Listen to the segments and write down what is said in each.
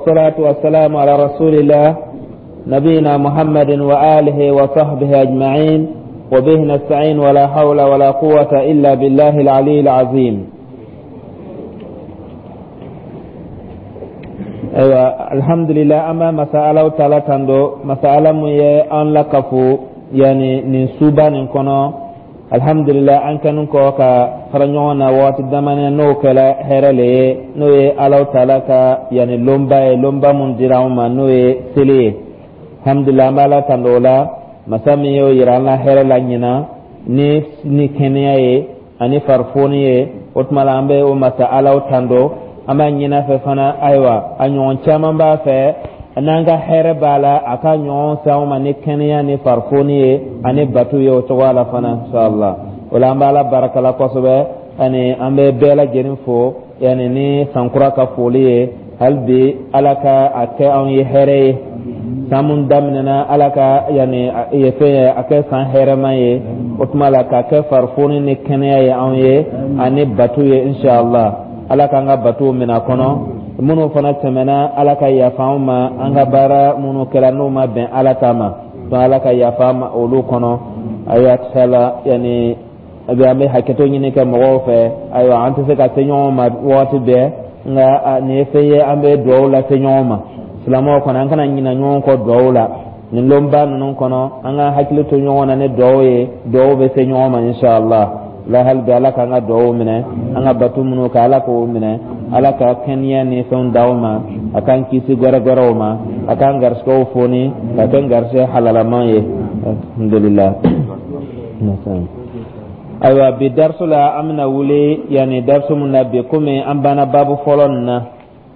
والصلاة والسلام على رسول الله نبينا محمد وآله وصحبه أجمعين وبه نستعين ولا حول ولا قوة إلا بالله العلي العظيم. Ayiwa, alhamdulillah, an bɛ masa Alahu taala tando, masa Ala mun ye an lakafu yani nin suba nin kɔnɔ. Alhamdulillah, an kɛnin kɔ ka fara ɲɔgɔn na waati damani, n'o kɛra hɛrɛ le ye, n'o ye Alahu taala ka yani lonba ye, lonba mun dira anw ma, n'o ye seli ye. Alhamdulillah, an bɛ Ala tando o la, masa min y'o yira an la hɛrɛ la ɲinan ni kɛnɛya ye ani farifoni ye. O tuma la, an bɛ o masa Alaw tando. An b'a ɲini a fɛ fana, ayiwa, a ɲɔgɔn caman b'a fɛ, n'an ka hɛrɛ b'a la, a ka ɲɔgɔn se anw ma ni kɛnɛya ni farifoni ye ani bato ye o cogoya la fana, inshallah. O la, an b'Ala barakala kosɛbɛ, ani an bɛ bɛɛ lajɛlen fo yani ni sankura ka foli ye. Hali bi, Ala ka a kɛ anw ye hɛrɛ ye. San mun daminɛna, Ala ka yani ye fɛn ye, a kɛ san hɛrɛma ye. O tuma la, k'a kɛ farifoni ni kɛnɛya ye anw ye ani bato ye, inshallah. Ala k'an ka batow minɛ a kɔnɔ. Minnu fana tɛmɛna, Ala ka yafa anw ma. An ka baara minnu kɛra, n'o ma bɛn Ala ta ma, donc Ala ka yafa an ma olu kɔnɔ. Ayiwa, inshallah, yani a bɛ an bɛ hakɛto ɲini kɛ mɔgɔw fɛ. Ayiwa, an tɛ se ka se ɲɔgɔn ma waati bɛɛ, nka nin ye fɛn ye, an bɛ dugawu lase ɲɔgɔn ma. Silamɛw kɔnɔ, an kana ɲinɛ ɲɔgɔn kɔ dugawu la nin lonba ninnu kɔnɔ. An ka hakili to ɲɔgɔn na ni dugawu ye, dugawu bɛ se ɲɔgɔn ma, inshallah. La hali bi, Ala k'an ka dugawu minɛ, an ka bato minnu kɛ, Ala k'o minɛ. Ala ka kɛnɛya ni fɛnw d'aw ma, a k'an kisi gɛrɛgɛrɛw ma, a k'an garisigɛw foni ka kɛ garisigɛ halalaman ye, alhamdulillah. Ayiwa, bi darisu la, an bɛna wuli yanni darisu mun na bi, komi an banna baabu fɔlɔ nin na.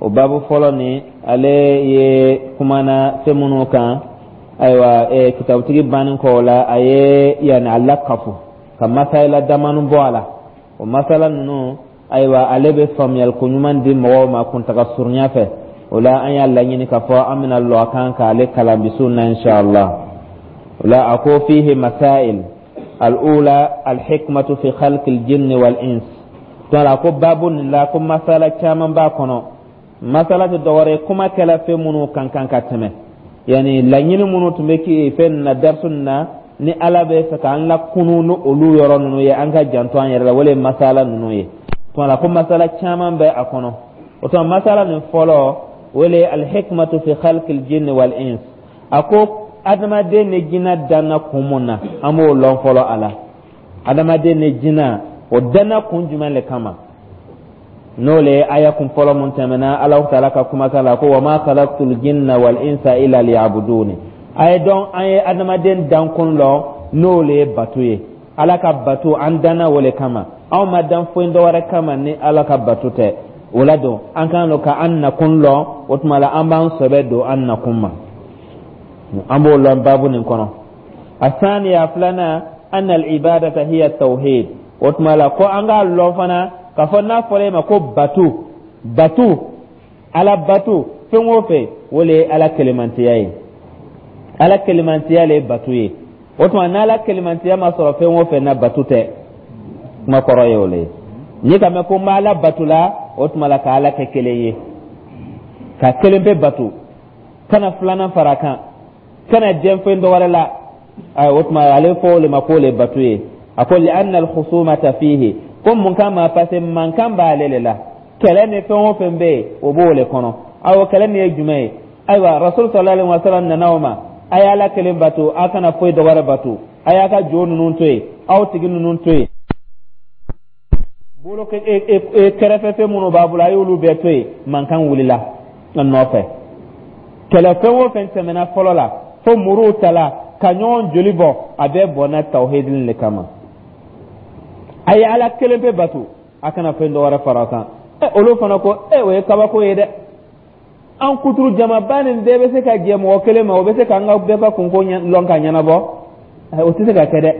O baabu fɔlɔ nin, ale ye kumana fɛn minnu kan, ayiwa, kitabutigi banni kɔ o la, a ye yanni a lakafu ka masayila damani bɔ a la. O masala ninnu, ayiwa, ale bɛ faamuyali ko ɲuman di mɔgɔw ma kuntaga surunya fɛ. O la, an y'a laɲini k'a fɔ an bɛna lɔ a kan k'ale kalan bi su na, inshallah. O la, a ko: fihi masail, al-ula al-hikmatu fi khalqi al-jinni wal-ins. To la ko babu nin la, ko masala caman b'a kɔnɔ. Masala tɛ dɔwɛrɛ ye, kuma kɛla fɛn minnu kan kan ka tɛmɛ, yani laɲini minnu tun bɛ kɛ fɛn nin na, darisu nin na, ni Ala bɛ fɛ k'an lakunu ni olu yɔrɔ ninnu ye, an ka janto an yɛrɛ la, o le ye masala ninnu ye. Tuma la, ko masala caman bɛ a kɔnɔ. O tuma, masala nin fɔlɔ, o le ye alhikmatu fi khalqil jinni wal ins. A ko adamaden ni jinɛ danna kun mun na, an b'o lɔn fɔlɔ a la. Adamaden ni jinɛ, o danna kun jumɛn le kama? N'o le ye aya kun fɔlɔ mun tɛmɛna, Alahu taala ka kumakan la ko: wa ma khalaqtul jinna wal insa illa liya'buduni. A ye dɔn, an ye adamaden dankun lɔn, n'o le ye bato ye, Ala ka bato. An danna o le kama, anw ma dan foyi dɔwɛrɛ kama ni Ala ka bato tɛ. O la don, an kan lɔ ka an nakun lɔn. O tuma la, an b'an sɛbɛ don an nakun ma, an b'o lɔn baabu nin kɔnɔ. Asaniya, filanan, anna al-ibadata hiya tawhid. O tuma la, ko an k'a lɔn fana k'a fɔ n'a fɔra e ma ko bato, bato, Ala bato, fɛn o fɛn, o le ye Ala kelemantiya ye. Ala kelemantiya le ye bato ye. O tuma, n'Ala kelemantiya ma sɔrɔ fɛn o fɛn na, bato tɛ. Kuma kɔrɔ ye o le ye. N'i ka mɛn ko n b'Ala bato la, o tuma la, ka Ala kɛ kelen ye, ka kelen pe bato, kana filanan fara a kan, kana jɛn fɛn dɔ wɛrɛ la. O tuma, ale fɔ o le ma k'o le bato ye. A ko: li anna al-khusumata fihi. Ko mun kama? Parce que mankan b'ale le la. Kɛlɛ ni fɛn o fɛn bɛ yen, o b'o le kɔnɔ. Awɔ, kɛlɛ nin ye jumɛn ye? Ayiwa, Rasul sallallahu alaihi wasallam nana o ma: a ye Ala kelen bato, a kana foyi dɔ wɛrɛ bato, a y'a ka jo ninnu to yen, aw tigi ninnu to yen, bolo kɛrɛfɛ fɛn minnu b'a bolo, a y'olu bɛɛ to yen. Mankan wulila a nɔfɛ. Kɛlɛ fɛn o fɛn tɛmɛna fɔlɔ la, fo muruw tala ka ɲɔgɔn joli bɔ, a bɛɛ bɔnna tawhidin le kama: a ye Ala kelen pe bato, a kana fɛn dɔ wɛrɛ fara a kan. Ɛ, olu fana ko: e, o ye kabako ye dɛ! An kuturu jamaba nin bɛɛ bɛ se ka jɛ mɔgɔ kelen ma, o bɛ se k'an ka bɛɛ ka kunko lɔn ka ɲɛnabɔ? O tɛ se ka kɛ dɛ,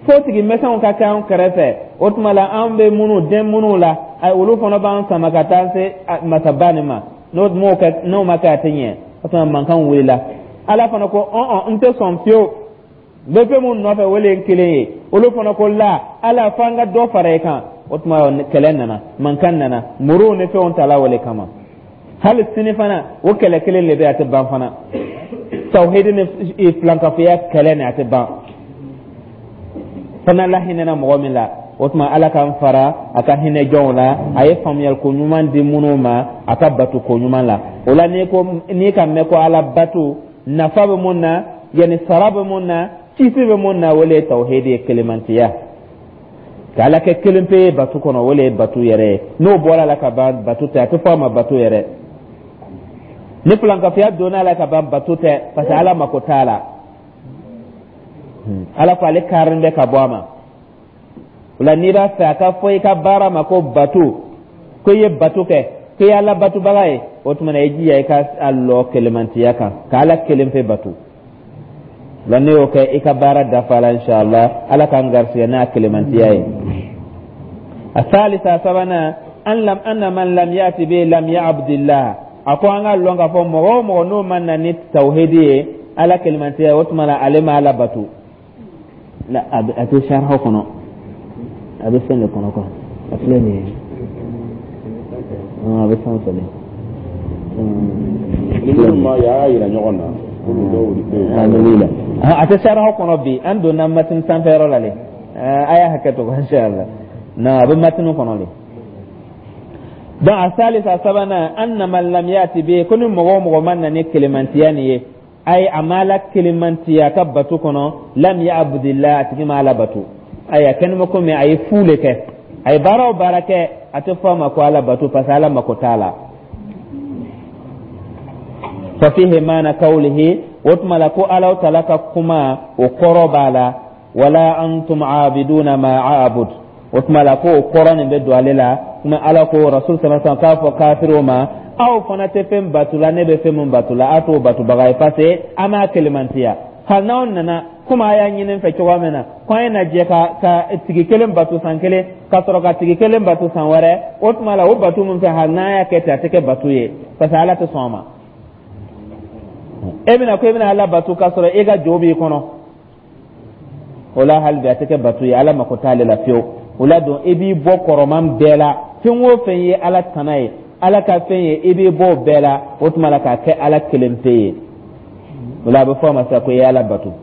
fo tigi misɛnw ka kɛ an kɛrɛfɛ. O tuma la, an bɛ minnu den minnu la, olu fana b'an sama ka taa se masaba nin ma. N'o m'o kɛ, n'o ma kɛ, a tɛ ɲɛ. O tuma, mankan wulila. Ala fana ko: ɔn, n tɛ sɔn fiyewu, n bɛ fɛn mun nɔfɛ, o le ye kelen ye. Olu fana ko: la, Ala, f'an ka dɔ fara i kan. O tuma, kɛlɛ nana, mankan nana, muruw ni fɛnw tala o le kama. Hali sini fana, o kɛlɛ kelen le bɛ, a tɛ ban fana. Tawhidi ni filankafoya kɛlɛ ni, a tɛ ban fana. La hinɛna mɔgɔ min la, o tuma Ala k'an fara a ka hinɛ jɔnw la, a ye faamuyali ko ɲuman di minnu ma a ka bato ko ɲuman la. O la, n'i ko n'i ka mɛn ko Ala bato nafa bɛ mun na, yanni sara bɛ mun na, kisi bɛ mun na, o le ye tawhidi ye, kelemantiya, ka Ala kɛ kelen pe ye bato kɔnɔ, o le ye bato yɛrɛ ye. N'o bɔra la ka ban, bato tɛ, a tɛ fɔ a ma bato yɛrɛ. Ni filankafoya donna a la ka ban, bato tɛ, parce que Ala mako t'a la. Ala ko ale karilen bɛ ka bɔ a ma. O la, n'i b'a fɛ a ka fɔ i ka baara ma ko bato, ko i ye bato kɛ, ko i ye Ala batobaga ye, o tuma na i jija i ka a lɔ kelemantiya kan, ka Ala kelen pe bato la. Ne y'o kɛ, i ka baara dafa la, inshallah. Ala k'an garisigɛ n'a kelemantiya ye. Asalisa, sabanan, an lam anna man lam yati bi lam ya'budillah. A ko an ka lɔn k'a fɔ mɔgɔ o mɔgɔ n'o ma na ni tawhidi ye, Ala kelemantiya, o tuma na ale ma Ala bato la. A tɛ sariya kɔnɔ, a bɛ fɛn de kɔnɔ quoi. A filɛ nin ye, a bɛ sanfɛ de. Ni minnu ma y'a yira ɲɔgɔn na, komi dɔw bɛ yen. A tɛ sariya kɔnɔ bi, an donna matini sanfɛ yɔrɔ la le. A y'a hakɛ to, inshallah. Na a bɛ matini kɔnɔ le. Donc asalisa, sabanan, anna man lam yati bi, ko ni mɔgɔ o mɔgɔ ma na ni kelemantiya nin ye, ayi, a ma Ala kelemantiya ka bato kɔnɔ, lam ya'budillah, a tigi ma Ala bato. Ayi, a kɛni bɛ komi a ye fu le kɛ. A ye baara o baara kɛ, a tɛ fɔ a ma ko Ala bato, parce que Ala mako t'a la. Fa fihi maana kawlihi, o tuma la ko Ala taala ka kuma, o kɔrɔ b'a la, wala antum abiduna ma a'bud. O tuma la ko o kɔrɔ nin bɛ don ale la kuma. Ala ko Rasul sallallahu alaihi wasallam k'a fɔ kafiriw ma: aw fana tɛ fɛn bato la, ne bɛ fɛn min bato la, aw t'o batobaga ye, parce que an m'a kelemantiya. Hali n'aw nana komi a y'a ɲini n fɛ cogoya min na ko an ye na jɛ ka tigi kelen bato san kelen, ka sɔrɔ ka tigi kelen bato san wɛrɛ, o tuma la o bato min fɛ, hali n'an y'a kɛ ten, a tɛ kɛ bato ye, parce que Ala tɛ sɔn a ma. E bɛna ko e bɛna Ala bato k'a sɔrɔ e ka jo b'i kɔnɔ, o la hali bi a tɛ kɛ bato ye, Ala mako t'ale la fiyewu. O la don, i b'i bɔ kɔrɔman bɛɛ la. Fɛn o fɛn ye Ala tana ye, Ala ka fɛn ye, i b'i bɔ o bɛɛ la, o tuma la k'a kɛ Ala kelen pe ye. O la a bɛ fɔ a ma sisan ko i ye Ala bato.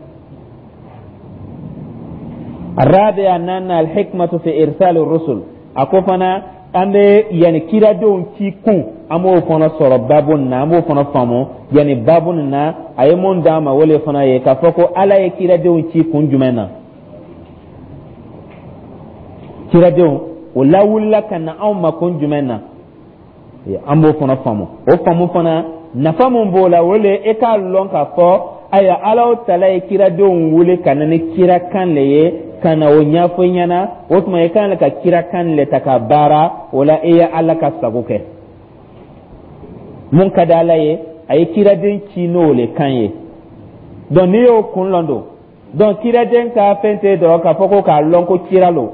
Arabiya nana alhikmatu fi irsal rusul. A ko fana an bɛ yanni kiradenw ci kun, an b'o fana sɔrɔ babu nin na, an b'o fana faamu yanni babu nin na. A ye mun d'an ma, o le fana ye k'a fɔ ko Ala ye kiradenw ci kun jumɛn na. Kiradenw o lawulila ka na anw ma kun jumɛn na, an b'o fana faamu. O faamu fana, nafa mun b'o la, o le e k'a lɔn k'a fɔ ayiwa, Ala tala ye kiradenw wele ka na ni kirakan le ye, ka na o ɲɛfɔ i ɲɛna. O tuma i kan ka kirakan le ta ka baara. O la e ye Ala ka sago kɛ. Mun ka di Ala ye, a ye kiraden ci n'o le kan ye. Donc n'i y'o kun lɔn don, donc kiraden ka fɛn tɛ dɔrɔn k'a fɔ ko k'a lɔn ko kira lo,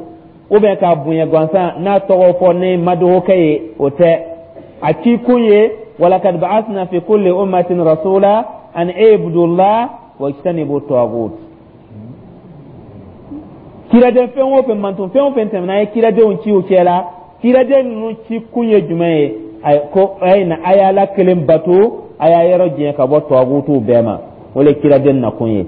ou bien k'a bonya gansan n'a tɔgɔ fɔ ni madogokɛ ye, o tɛ. A ci kun ye walakad ba'athna fi kulli ummatin rasula an ibudullah wajtanibu taghut. Kiraden fɛn o fɛn, mantɔn fɛn o fɛn tɛmɛna, a ye kiradenw ci u cɛ la. Kiraden ninnu ci kun ye jumɛn ye? Ko a ye na, a ye Ala kelen bato, a y'a yɔrɔ janya ka bɔ tɔgutuw bɛɛ ma. O le kiraden nakun ye.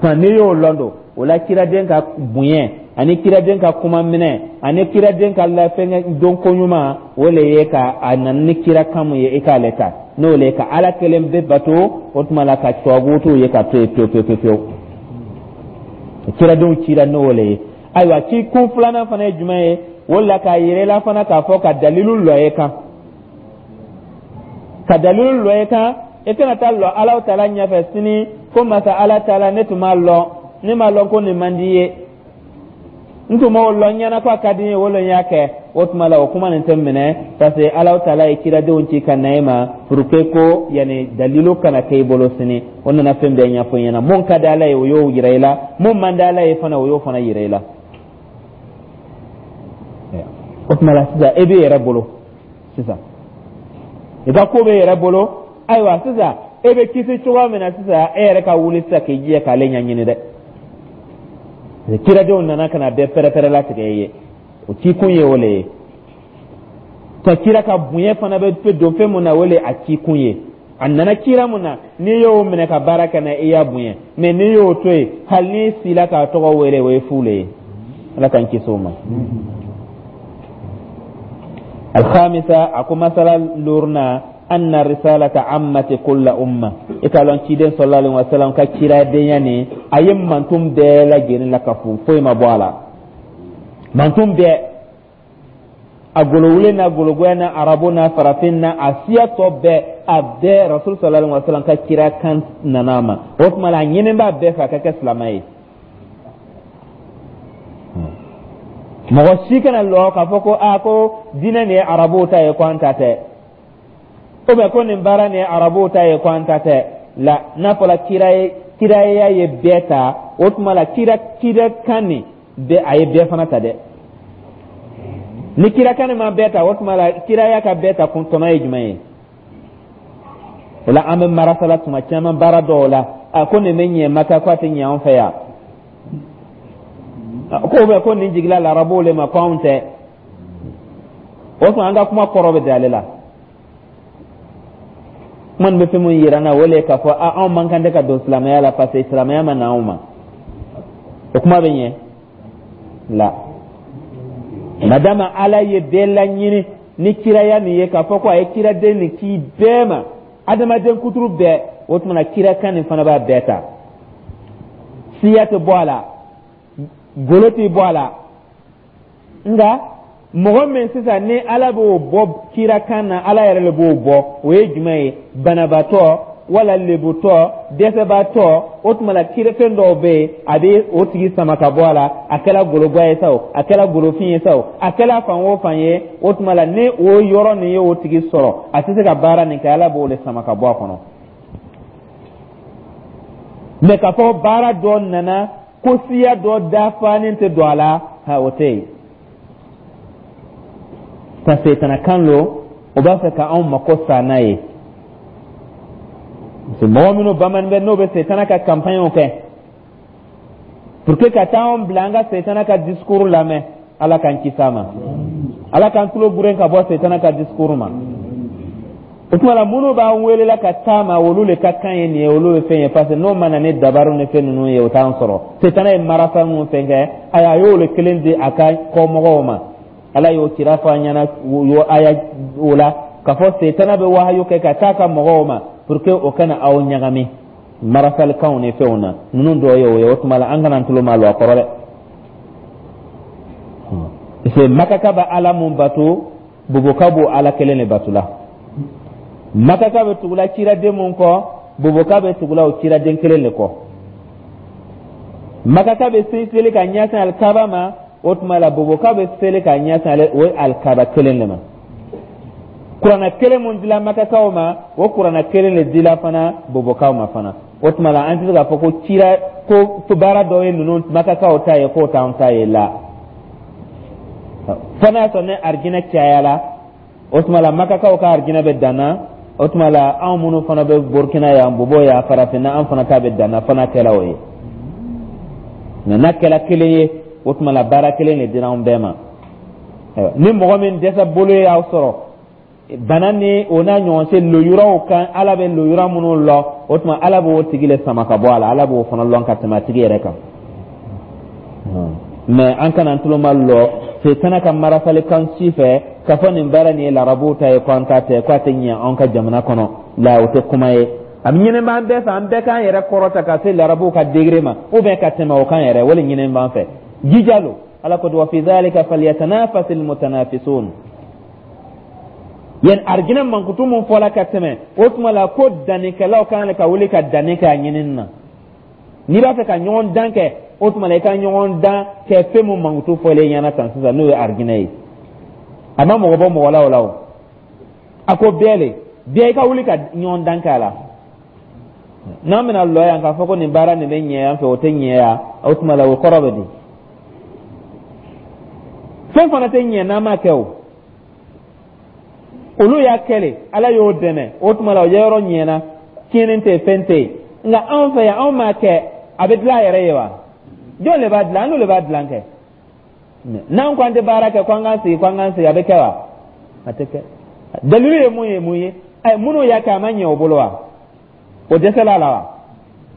N'i y'o lɔn don, o la kiraden ka bonya ani kiraden ka kuma minɛ ani kiraden ka lafɛngɛ don ko ɲuman, o le ye ka a nana ni kira kan mun ye, i k'ale ta, n'o le ye ka Ala kelen pe bato, o tuma la ka tɔgutuw ye ka to yen pewu pewu pewu. Kiradenw cira n'o le ye. Ayiwa, ci kun filanan fana ye jumɛn ye? O la k'a yira i la fana k'a fɔ ka dalilu lɔ e kan, ka dalilu lɔ e kan, i kana taa lɔ Ala taala ɲɛfɛ sini ko masa Ala taala, ne tun m'a lɔn, ne m'a lɔn ko nin man di ye, n tun m'o lɔn ɲɛna ko a ka di n ye, o le n y'a kɛ. O tuma la o kuma nin tɛ minɛ, parce que Ala taala ye kiradenw ci ka na e ma pour que ko yanni dalilu kana kɛ i bolo sini. O nana fɛn bɛɛ ɲɛfɔ i ɲɛna. Mun ka di Ala ye, o y'o yira i la. Mun man di Ala ye fana, o y'o fana yira i la. O tuma la sisan e b'i yɛrɛ bolo, sisan i ka ko b'e yɛrɛ bolo. Ayiwa, sisan e bɛ kisi cogoya min na, sisan e yɛrɛ ka wuli sisan k'i jija k'ale ɲɛɲini dɛ. Kiradenw nana ka na bɛɛ pɛrɛpɛrɛ latigɛ i ye, o ci kun ye o le ye. Ka kira ka bonya fana bɛ don fɛn mun na, o le a cikun ye. A nana kira mun na, n'i y'o minɛ ka baara kɛ n'a ye, i y'a bonya. Mais n'i y'o to yen, hali n'i sila k'a tɔgɔ wele, o ye fu le ye. Ala k'an kisi o ma. Alhamisa, a ko masala luruna, anna risalata ammati kulla umma. I k'a lɔn ciden sallallahu alaihi wasallam ka kiradenya nin, a ye mantun bɛɛ lajɛlen la ka fu, foyi ma bɔ a la. Mantun bɛɛ, a golowulen n'a gologoya n'a arabu n'a farafin n'a a siya tɔ bɛɛ, a bɛɛ Rasul sallallahu alaihi wasallam ka kira kan nana a ma. O tuma la, a ɲinin b'a bɛɛ fɛ a ka kɛ silamɛ ye. Mɔgɔ si kana lɔ k'a fɔ ko aa, ko diinɛ nin ye arabuw ta ye, ko an ta tɛ, ou bien ko nin baara nin ye arabuw ta ye, ko an ta tɛ. La, n'a fɔra kira ye, kiraya ye bɛɛ ta, o tuma la kira kan nin bɛɛ, a ye bɛɛ fana ta dɛ. Ni kira kan nin ma bɛɛ ta, o tuma la kiraya ka bɛɛ ta kun tɔnɔ ye jumɛn ye? O la, an bɛ marasala tuma caman baara dɔw la, a ko nin bɛ ɲɛ Maka, ko a tɛ ɲɛ anw fɛ yan, ko bɛ ko nin jigila larabuw le ma, ko anw tɛ. O tuma an ka kuma kɔrɔ bɛ d'ale la. Kuma nin bɛ fɛn mun yira n na, o le ye k'a fɔ anw man kan tɛ ka don silamɛya la, parce que silamɛya ma na anw ma. O kuma bɛ ɲɛ la, madama Ala ye bɛɛ laɲini ni kiraya nin ye, k'a fɔ ko a ye kiraden nin ci bɛɛ ma, adamaden kuturu bɛɛ. O tuma na, kirakan nin fana b'a bɛɛ ta, siya tɛ bɔ a la, golo tɛ bɔ a la. Nka mɔgɔ min sisan ni Ala b'o bɔ kirakan na, Ala yɛrɛ le b'o bɔ, o ye jumɛn ye? Banabaatɔ wala lebutɔ, dɛsɛbaatɔ. O tuma la, kirafɛn dɔw bɛ yen, a bɛ o tigi sama ka bɔ a la. A kɛra goloba ye sa o, a kɛra golofin ye sa o, a kɛra fan o fan ye, o tuma la, ni o yɔrɔ nin ye o tigi sɔrɔ, a tɛ se ka baara nin kɛ, Ala b'o de sama ka bɔ a kɔnɔ. Mɛ k'a fɔ baara dɔ nana ko siya dɔ dafanen tɛ don a la, ha, o tɛ yen, parce que setana lo, o b'a fɛ ka anw mako sa n'a ye. Parce que mɔgɔ minnu bamanin bɛ, n'o bɛ setana ka campagne kɛ pour que ka taa anw bila an ka setana ka discours lamɛn, Ala k'an kisi a ma, Ala k'an tulo buren ka bɔ setana ka discours ma. O tuma la, minnu b'an welela ka taa ma, olu le ka kan ye nin ye, olu ye fɛn ye, parce que n'o ma na ni dabaru ni fɛn ninnu ye, o t'an sɔrɔ. Setana ye marasa minnu fɛn kɛ, ayi, a y'o le kelen di a ka kɔmɔgɔw ma. Ala y'o kira fɔ an ɲɛna o aya o la, k'a fɔ setana bɛ wahayu kɛ ka taa ka mɔgɔw ma pour que o kana aw ɲagami marasalikanw ni fɛnw na. Ninnu dɔw ye o ye. O tuma la, an kana tulo ma lɔ a kɔrɔ dɛ, parce que Makaka bɛ Ala mun bato, Boboka b'o Ala kelen de bato la. Makaka bɛ tugula ciraden mun kɔ, Boboka bɛ tugula o ciraden kelen de kɔ. Makaka bɛ seli ka ɲɛsin alikaba ma, o tuma la Boboka bɛ seli ka ɲɛsin ale o alikaba kelen de ma. Kuranɛ kelen mun dila Makakaw ma, o kuranɛ kelen de dila fana Bobokaw ma fana. O tuma la, an tɛ se k'a fɔ ko cira ko baara dɔw ye ninnu Makakaw ta ye, k'o t'anw ta ye la. Fo n'a sɔrɔ ni arijinɛ cayala, o tuma la Makakaw ka arijinɛ bɛ danna. O tuma la, anw minnu fana bɛ Burukina yan, Bobo yan, Farafinna, an fana ta bɛ danna, fana kɛla o ye. Nka n'a kɛla kelen ye, o tuma la baara kelen de dira anw bɛɛ ma. Ni mɔgɔ min dɛsɛ bolo y'aw sɔrɔ, bana ni o n'a ɲɔgɔn se lojuraw kan, Ala bɛ lojura minnu lɔ, o tuma Ala b'o tigi le sama ka bɔ a la. Ala b'o fana lɔn ka tɛmɛ a tigi yɛrɛ kan. Mɛ an kana an tulo ma lɔ setana ka marasalikan si fɛ k'a fɔ nin baara nin ye larabuw ta ye, ko an ta tɛ, ko a tɛ ɲɛ anw ka jamana kɔnɔ la. O tɛ kuma ye. A bɛ ɲini b'an bɛɛ fɛ, an bɛɛ k'an yɛrɛ kɔrɔta ka se larabuw ka degré ma, ou bien ka tɛmɛ o kan yɛrɛ. O le ɲini b'an fɛ, jija lo. Ala ko: wa fi dhalika falyatanafasil mutanafisun. Yen arijinɛ mankutu mun fɔla ka tɛmɛ, o tuma la ko dannikɛlaw kan ka wuli ka danni kɛ a ɲinini na. N'i b'a fɛ ka ɲɔgɔn dan kɛ, o tuma la i ka ɲɔgɔn dan kɛ fɛn mun mankutu fɔlen ɲɛna tan sisan, n'o ye arijinɛ ye. A ma mɔgɔ bɔ mɔgɔ la o la. O a ko bɛɛ le, bɛɛ i ka wuli ka ɲɔgɔn dan kɛ a la. N'an bɛna lɔ yan k'a fɔ ko nin baara nin bɛ ɲɛ yan fɛ, o tɛ ɲɛ yan, o tuma la o kɔrɔ bɛ di? Fɛn fana tɛ ɲɛ n'an m'a kɛ. O olu y'a kɛ, Ala y'o dɛmɛ, o tuma la o yɔrɔ ɲɛna, tiɲɛni tɛ, fɛn tɛ yen. Nka anw fɛ yan, anw m'a kɛ, a bɛ dilan a yɛrɛ ye wa? Jɔn de b'a dilan? An n'o de b'a dilan kɛ. N'an ko an tɛ baara kɛ, ko an k'an sigi, ko an k'an sigi, a bɛ kɛ wa? A tɛ kɛ. Dalilu ye mun ye? Mun ye? Ɛ, minnu y'a kɛ, a ma ɲɛ o bolo wa? O dɛsɛla la wa?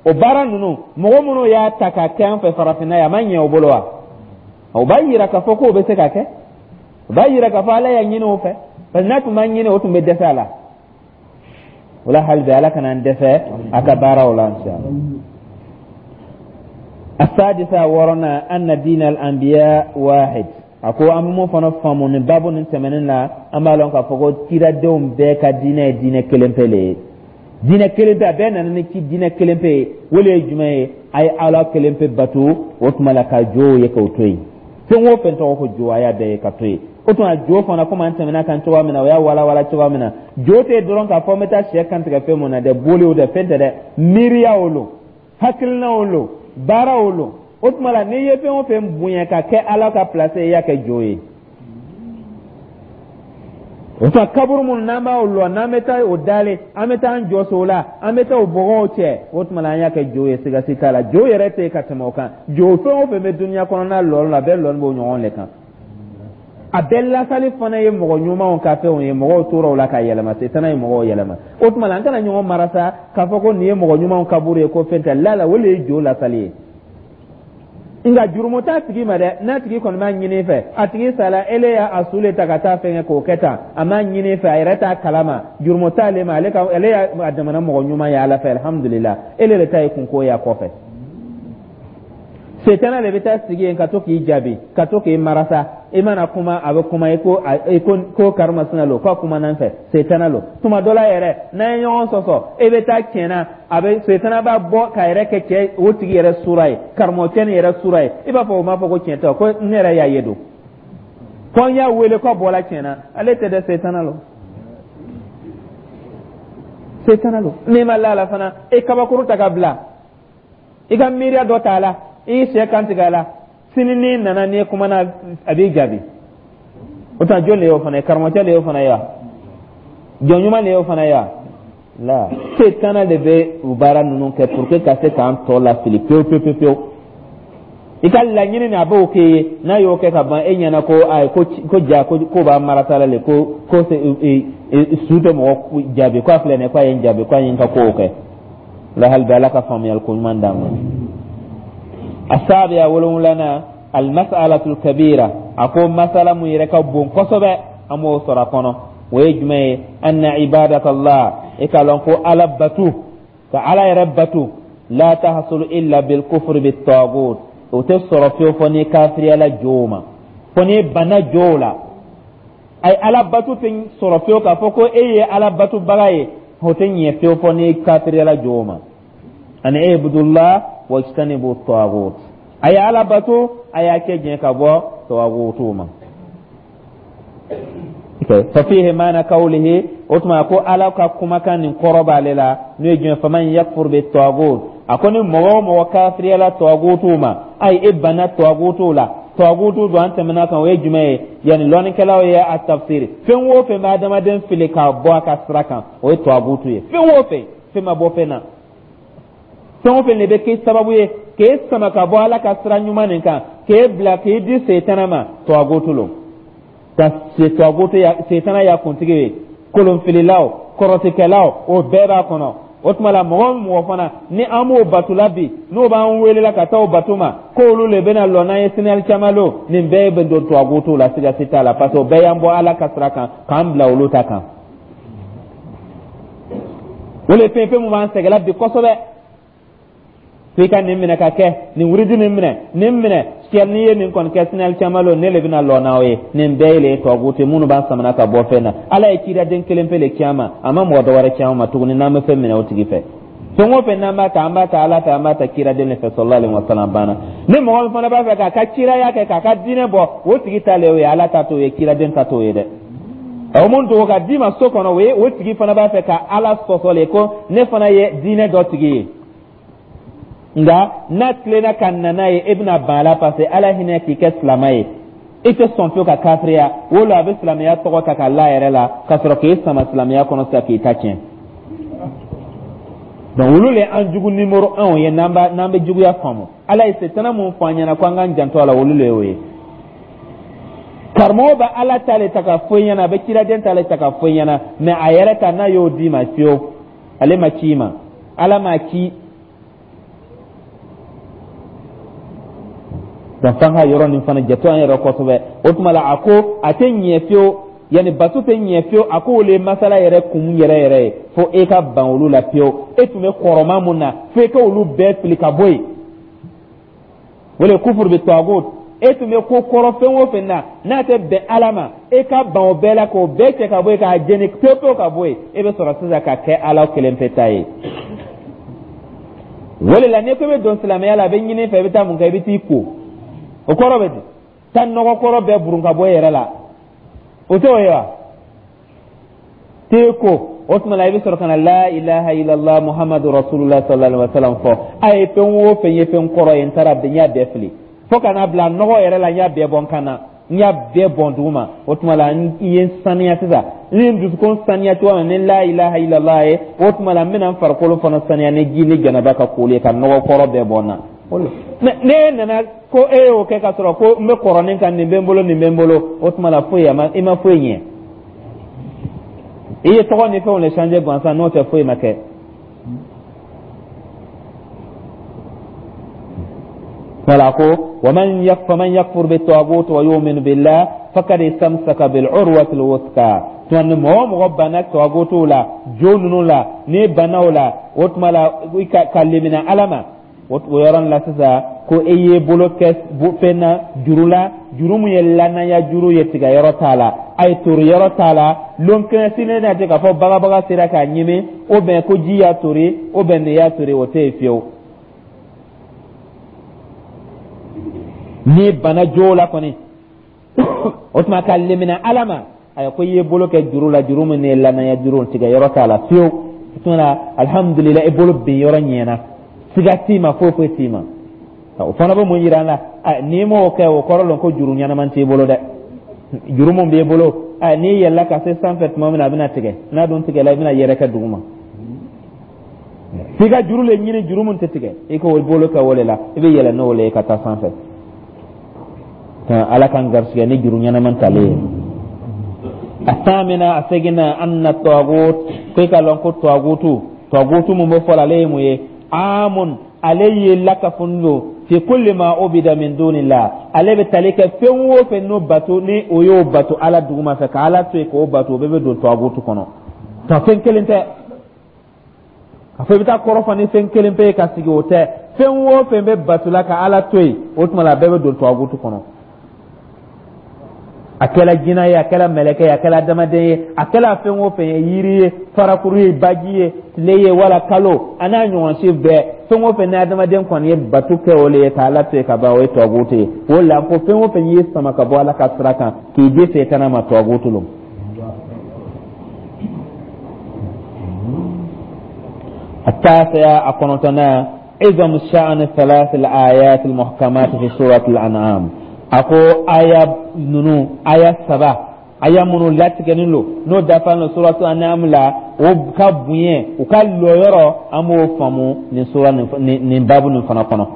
O baara ninnu, mɔgɔ minnu y'a ta k'a kɛ an fɛ farafinna ye, a ma ɲɛ o bolo wa? O b'a yira k'a fɔ k'o bɛ se ka kɛ. O b'a yira k'a fɔ Ala y'a ɲini o fɛ, parce que n'a tun ma ɲini, o tun bɛ dɛsɛ a la. O la, hali bi, Ala kana an dɛsɛ a ka baaraw la, inshallah. السادسة wɔɔrɔnan, أن دين الأنبياء واحد. A ko an bɛ mun fana faamu nin baabu nin tɛmɛnen na? An b'a lɔn k'a fɔ ko kiradenw bɛɛ ka diinɛ ye diinɛ kelen pe le ye, diinɛ kelen pe. A bɛɛ nana ni ci diinɛ kelen pe ye. O le ye jumɛn ye? A ye Ala kelen pe bato. O tuma la, ka jow ye k'o to yen. Fɛn o fɛn tɔgɔ ko jo, a y'a bɛɛ ye ka to yen. O tuma, jo fana, komi an tɛmɛna kan cogoya min na, o y'a walawala cogoya min na, jo tɛ dɔrɔn k'a fɔ n bɛ taa sɛ kantigɛ fɛn mun na dɛ, boli o dɛ, fɛn tɛ dɛ, miiriya o lo, hakilina o lo, baara o lo. O tuma la, n'i ye fɛn o fɛn bonya ka kɛ Ala ka place ye, i y'a kɛ jo ye. O tuma, kaburu minnu n'an b'o lɔ, n'an bɛ taa o dalen, an bɛ taa an jɔso o la, an bɛ taa o bɔgɔw cɛ, o tuma la, an y'a kɛ jo ye, siga si t'a la. Jo yɛrɛ tɛ ka tɛmɛ o kan. Jo fɛn o fɛn bɛ dunuya kɔnɔna lɔni la, a bɛɛ lɔni b'o ɲɔgɔn de kan. A bɛɛ lasali fana ye mɔgɔ ɲumanw ka fɛnw ye. Mɔgɔw tora o la ka yɛlɛma, setana ye mɔgɔw yɛlɛma. O tuma la, an kana ɲɔgɔn mara sa k'a fɔ ko nin ye mɔgɔ ɲumanw kaburu ye, ko fɛn tɛ la la. O de ye jo lasali ye. Nka jurumu t'a tigi ma dɛ, n'a tigi kɔni b'a ɲini fɛ. A tigi sala, ele y'a su le ta ka taa fɛn kɛ k'o kɛ tan, a m'a ɲini fɛ, a yɛrɛ t'a kalama, jurumu t'ale ma. Ale ka ale y'a jamana mɔgɔ ɲuman ye Ala fɛ, alhamdulillah. Ele de ta ye kunko ye a kɔfɛ. Setana de bɛ taa sigi yen ka to k'i jaabi, ka to k'i marasa. I mana kuma, a bɛ kuma i ko i ko ko karimasina lo, k'a kuma n'an fɛ, setana lo. Tuma dɔ la yɛrɛ, n'an ye ɲɔgɔn sɔsɔ, e bɛ taa tiɲɛna, a bɛ setana b'a bɔ k'a yɛrɛ kɛ cɛ o tigi yɛrɛ sura ye, karamɔgɔcɛ nin yɛrɛ sura ye. I b'a fɔ o m'a fɔ ko tiɲɛ tɛ, ko ne yɛrɛ y'a ye don fɔ n y'a wele k'a bɔra tiɲɛna. Ale tɛ dɛ, setana lo, setana lo. N'i ma la la fana, e kabakuru ta ka bila, i ka miiriya dɔ t'a la, i y'i sɛ kan tigɛ a la, sini n'i nana, n'i kumana, a b'i jaabi. O tuma, jɔn de y'o fana ye? Karamɔgɔcɛ de y'o fana ye wa? Jɔn ɲuman de y'o fana ye wa? La, setana de bɛ u baara ninnu kɛ pour que ka se k'an tɔ lafili pewu pewu pewu pewu. I ka laɲini ni a b'o k'e ye, n'a y'o kɛ ka ban e ɲɛna ko ayi, ko ja ko b'a marasa la le, ko su tɛ mɔgɔ jaabi, ko a filɛ nin ye, ko a ye n jaabi, ko a ye n ka kow kɛ la. Hali bi, Ala ka faamuyali ko ɲuman d'an ma. السابعة wolonwulana, المسألة الكبيرة. A ko masala mun yɛrɛ ka bon kosɛbɛ, an b'o sɔrɔ a kɔnɔ, o ye jumɛn ye? أن عبادة الله, e k'a lɔn ko Ala batu, ka Ala yɛrɛ batu, لا تحصل إلا بالكفر بالطاغوت. O tɛ sɔrɔ fiyewu fɔ n'i kafiriyala jow ma, fɔ n'i banna jow la. Ayi, Ala batu tɛ sɔrɔ fiyewu k'a fɔ ko e ye Ala batubaga ye, o tɛ ɲɛ fiyewu fɔ n'i kafiriyala jow ma. أن اعبدوا الله واجتنبوا الطاغوت. A ye Ala bato, a y'a kɛ jɛn ka bɔ tawagutu ma. ففيه معنى قوله. O tuma ko Ala ka kumakan nin kɔrɔ b'ale la, n'o ye jumɛn? فمن يكفر بالطاغوت. A ko ni mɔgɔ o mɔgɔ kafiriyala tawagutu ma, ayi, e banna tawagutu la. Tawagutu don, an tɛmɛna kan, o ye jumɛn ye? Yani lɔnnikɛlaw ye a tafsiri, fɛn o fɛn bɛ adamaden fili k'a bɔ a ka sira kan, o ye tawagutu ye. Fɛn o fɛn, fɛn ma bɔ fɛn na, fɛn o fɛn de bɛ kɛ sababu ye k'e sama ka bɔ Ala ka sira ɲuman nin kan, k'e bila k'e di setana ma, tawagutu lo. Ka tawagutu ya, setana y'a kuntigi ye, kolonfililaw, kɔrɔtikɛlaw, o bɛɛ b'a kɔnɔ. O tuma la, mɔgɔ o mɔgɔ fana ni an b'o bato la bi, n'o b'an welela ka taa o bato ma, k'olu le bɛna lɔ n'an ye sinali caman lo, nin bɛɛ bɛ don tawagutu la, siga si t'a la, parce que o bɛɛ y'an bɔ Ala ka sira kan k'an bila olu ta kan. O le fɛn fɛn mun b'an sɛgɛnla bi kosɛbɛ, f'i ka nin minɛ ka kɛ nin wuridi nin minɛ, nin minɛ siyɛ, n'i ye nin kɔni kɛ sinali caman lo, ne le bɛna lɔ n'aw ye. Nin bɛɛ ye le tawagutu minnu b'an samana ka bɔ fɛn na. Ala ye ciraden kelen pe le ci an ma, a ma mɔgɔ dɔ wɛrɛ ci an ma tuguni. N'an bɛ fɛn minɛ o tigi fɛ, fɛn o fɛn n'an b'a ta, an b'a ta Ala fɛ, an b'a ta ciraden de fɛ, صلى الله عليه وسلم, banna. Ni mɔgɔ min fana b'a fɛ k'a ka ciraya kɛ, k'a ka diinɛ bɔ, o tigi ta le o ye, Ala ta t'o ye, ciraden ta t'o ye dɛ. O mun dogo ka d'i ma so kɔnɔ, o ye o tigi fana b'a fɛ ka Ala sɔsɔ le, ko ne fana ye diinɛ dɔ tigi ye. Nka n'a tilenna ka na n'a ye, e bɛna ban a la, parce que Ala hinɛ k'i kɛ silamɛ ye, i tɛ sɔn fiyewu ka kafiriya. O la, a bɛ silamɛya tɔgɔ ta k'a la yɛrɛ la ka sɔrɔ k'e sama silamɛya kɔnɔ sisan k'i ta tiɲɛ. Donc olu le an jugu numéro 1 ye. N'an b'a n'an bɛ juguya faamu, Ala ye setana mun fɔ an ɲɛna ko an k'an janto a la, olu le y'o ye. Karamɔgɔ bɛ Ala ta le ta ka fɔ i ɲɛna, a bɛ ciraden ta le ta ka fɔ i ɲɛna, mais a yɛrɛ ta, n'a y'o d'i ma fiyewu, ale ma ci i ma, Ala m'a ci. Donc f'an ka yɔrɔ nin fana jate an yɛrɛ kosɛbɛ. O tuma la, a ko a tɛ ɲɛ fiyewu, yanni bato tɛ ɲɛ fiyewu. A ko olu ye masala yɛrɛ kun yɛrɛ yɛrɛ ye, fo e ka ban olu la fiyewu. E tun bɛ kɔrɔma mun na, fo e ka olu bɛɛ fili ka bɔ yen. O le kufuru bi tɔgut. E tun bɛ ko kɔrɔ fɛn o fɛn na, n'a tɛ bɛn Ala ma, e ka ban o bɛɛ la, k'o bɛɛ cɛ ka bɔ yen, k'a jeni pewu pewu ka bɔ yen. E bɛ sɔrɔ sisan ka kɛ Ala kelen pe ta ye. O de la, n'i ko i bɛ don silamɛya la, a bɛ ɲini i fɛ, i bɛ taa mun kɛ? I bɛ t'i ko. O kɔrɔ bɛ di? Taa nɔgɔ kɔrɔ bɛɛ burun ka bɔ i yɛrɛ la, o tɛ o ye wa? T'e ko, o tuma la, i bɛ sɔrɔ ka na la ilaha illallah Muhammadu rasulullah sallallahu alaihi wa sallam fɔ. A ye fɛn o fɛn ye fɛn kɔrɔ ye, n taara n y'a bɛɛ fili, fo ka n'a bila nɔgɔ yɛrɛ la, n y'a bɛɛ bɔ n kan na, n y'a bɛɛ bɔn duguma. O tuma la, n ye n saniya sisan. N ye n dusukun saniya cogoya min ni la ilaha illallah ye, o tuma la, n bɛna n farikolo fana saniya ni ji ni janaba ka koli ye, ka nɔgɔ kɔrɔ bɛɛ bɔ n na. Ne nana ko e y'o kɛ ka sɔrɔ ko n bɛ kɔrɔnin kan, nin bɛ n bolo, nin bɛ n bolo, o tuma la, foyi i ma foyi ɲɛ. I ye tɔgɔ ni fɛnw le changer gansan, n'o tɛ, foyi ma kɛ. Wala ko waman faman yakfur bi tagut wa yu'min billah faqad istamsaka bil urwati al wuthqa. Tuma ni mɔgɔ o mɔgɔ banna tagutu la, jo ninnu la, n'i banna o la, o tuma la, ka limina Ala ma, o yɔrɔ la sisan, ko e y'i bolo kɛ fɛn na, juru la, juru mun ye lanaya juru ye, tigɛ yɔrɔ t'a la, a ye tori yɔrɔ t'a la. Lon kelen sini n'a tɛ k'a fɔ bagabaga sera k'a ɲimi, o bɛn ko ji y'a tori, o bɛn nin y'a tori, o tɛ yen fiyewu. N'i banna jo la kɔni, o tuma ka limina Ala ma, ayi, ko i ye bolo kɛ juru la, juru min ye lanaya juru, tigɛ yɔrɔ t'a la fiyewu. O tuma na, alihamudulila, i bolo bin yɔrɔ ɲɛna, siga t'i ma, foyi foyi t'i ma. O fana bɛ mun yira an la? N'i m'o kɛ, o kɔrɔ lɔn ko juru ɲɛnama t'i bolo dɛ. Juru mun b'i bolo, n'i yɛlɛla ka se sanfɛ tuma min na, a bɛna tigɛ. N'a dun tigɛla, i bɛna yɛrɛkɛ duguma. F'i ka juru le ɲini, juru mun tɛ tigɛ, i k'o bolo kɛ o de la, i bɛ yɛlɛ n'o le ye ka taa sanfɛ. Ala k'an garisigɛ ni juru ɲɛnama talen ye. Athamina, a seginna, anna tagut, ko i ka lɔn ko tagutu, tagutu mun bɛ fɔ la, ale ye mun ye? Amun, ale ye lakafoni don, fi kulli ma ubida min dunillah, ale bɛ tali kɛ fɛn o fɛn n'o bato, ni o y'o bato Ala duguma fɛ, ka Ala to yen k'o bato, o bɛɛ bɛ don tagutu kɔnɔ. Tɔ fɛn kelen tɛ a fɔ i bɛ taa kɔrɔ fɔ ni fɛn kelen pe ye ka sigi, o tɛ. Fɛn o fɛn bɛ bato la ka Ala to yen, o tuma la, a bɛɛ bɛ don tagutu kɔnɔ. A kɛla jinɛ ye, a kɛla mɛlɛkɛ ye, a kɛla adamaden ye, a kɛla fɛn o fɛn ye, yiri ye, farakuru ye, baji ye, tile ye, wala kalo, a n'a ɲɔgɔn si bɛɛ, fɛn o fɛn ni adamaden kɔni ye bato kɛ o le ye ka Ala to yen ka ban, o ye tagutu ye. O la, ko fɛn o fɛn y'i sama ka bɔ Ala ka sira kan k'i di setana ma, tagutu lo. التاسعة a kɔnɔntɔnnan, عظم شأن ثلاث الآيات المحكمات في سورة الأنعام. A ko aya ninnu, aya saba, aya minnu latigɛlen don, n'o dafalen don suratu An'am la, o ka bonya, u ka lɔyɔrɔ, an b'o faamu nin sura nin babu nin fana kɔnɔ.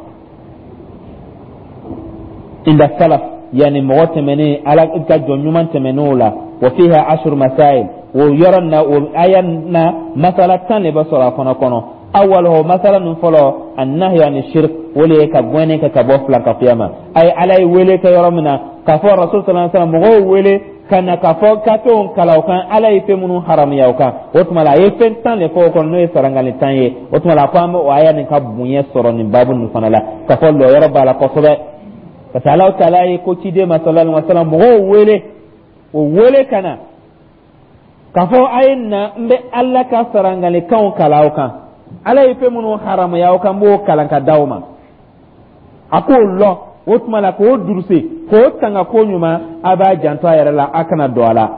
Inda salaf, yani mɔgɔ tɛmɛnen, Ala ka jɔn ɲuman tɛmɛnenw la, wa fiha ashru masail, o yɔrɔ na, o aya na, masala 10 de bɛ sɔrɔ a fana kɔnɔ. Awwaluhu, masala ninnu fɔlɔ, annahyu ani shirk, o de ye ka gɛnni kɛ ka bɔ filankafoya ma. A ye Ala ye wele kɛ yɔrɔ min na, k'a fɔ rasul sallallahu alaihi wasallam mɔgɔw wele ka na k'a fɔ ka t'o kalan o kan, Ala ye fɛn minnu haramuya o kan. O tuma la, a ye fɛn 10 de fɔ o kɔnɔ, n'o ye sarangali 10 ye. O tuma la, a ko an bɛ o aya nin ka bonya sɔrɔ nin baabu nin fana la, k'a fɔ lɔyɔrɔ b'a la kosɛbɛ, parce que Alahu taala ye ko ciden ma sallallahu alaihi wasallam mɔgɔw wele, o wele ka na k'a fɔ a ye na, n bɛ Ala ka sarangalikanw kalan aw kan, Ala ye fɛn minnu haramuya aw kan, n b'o kalan ka d'aw ma. A k'o lɔn, o tuma la, k'o duruse, k'o tanga ko ɲuman, a b'a janto a yɛrɛ la, a kana don a la.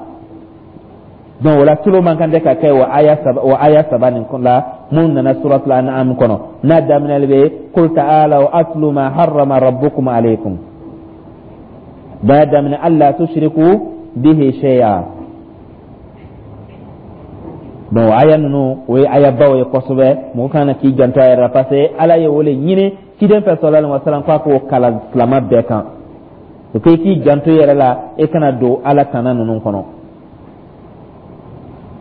Donc o la, tulo man kan tɛ ka kɛ o aya saba nin la mun nana suratul An'am kɔnɔ, n'a daminɛli bɛ qul ta'alaw atlu ma harrama rabbukum alaykum, b'a daminɛ alla tushriku bihi shay'a. Donc aya ninnu, o ye ayabaw ye kosɛbɛ, mɔgɔ kan k'i janto a yɛrɛ la, parce que Ala ye o le ɲini ciden fɛ sallallahu alaihi wasallam k'a k'o kalan silama bɛɛ kan. O ko i k'i janto i yɛrɛ la, e kana don Ala tana ninnu kɔnɔ.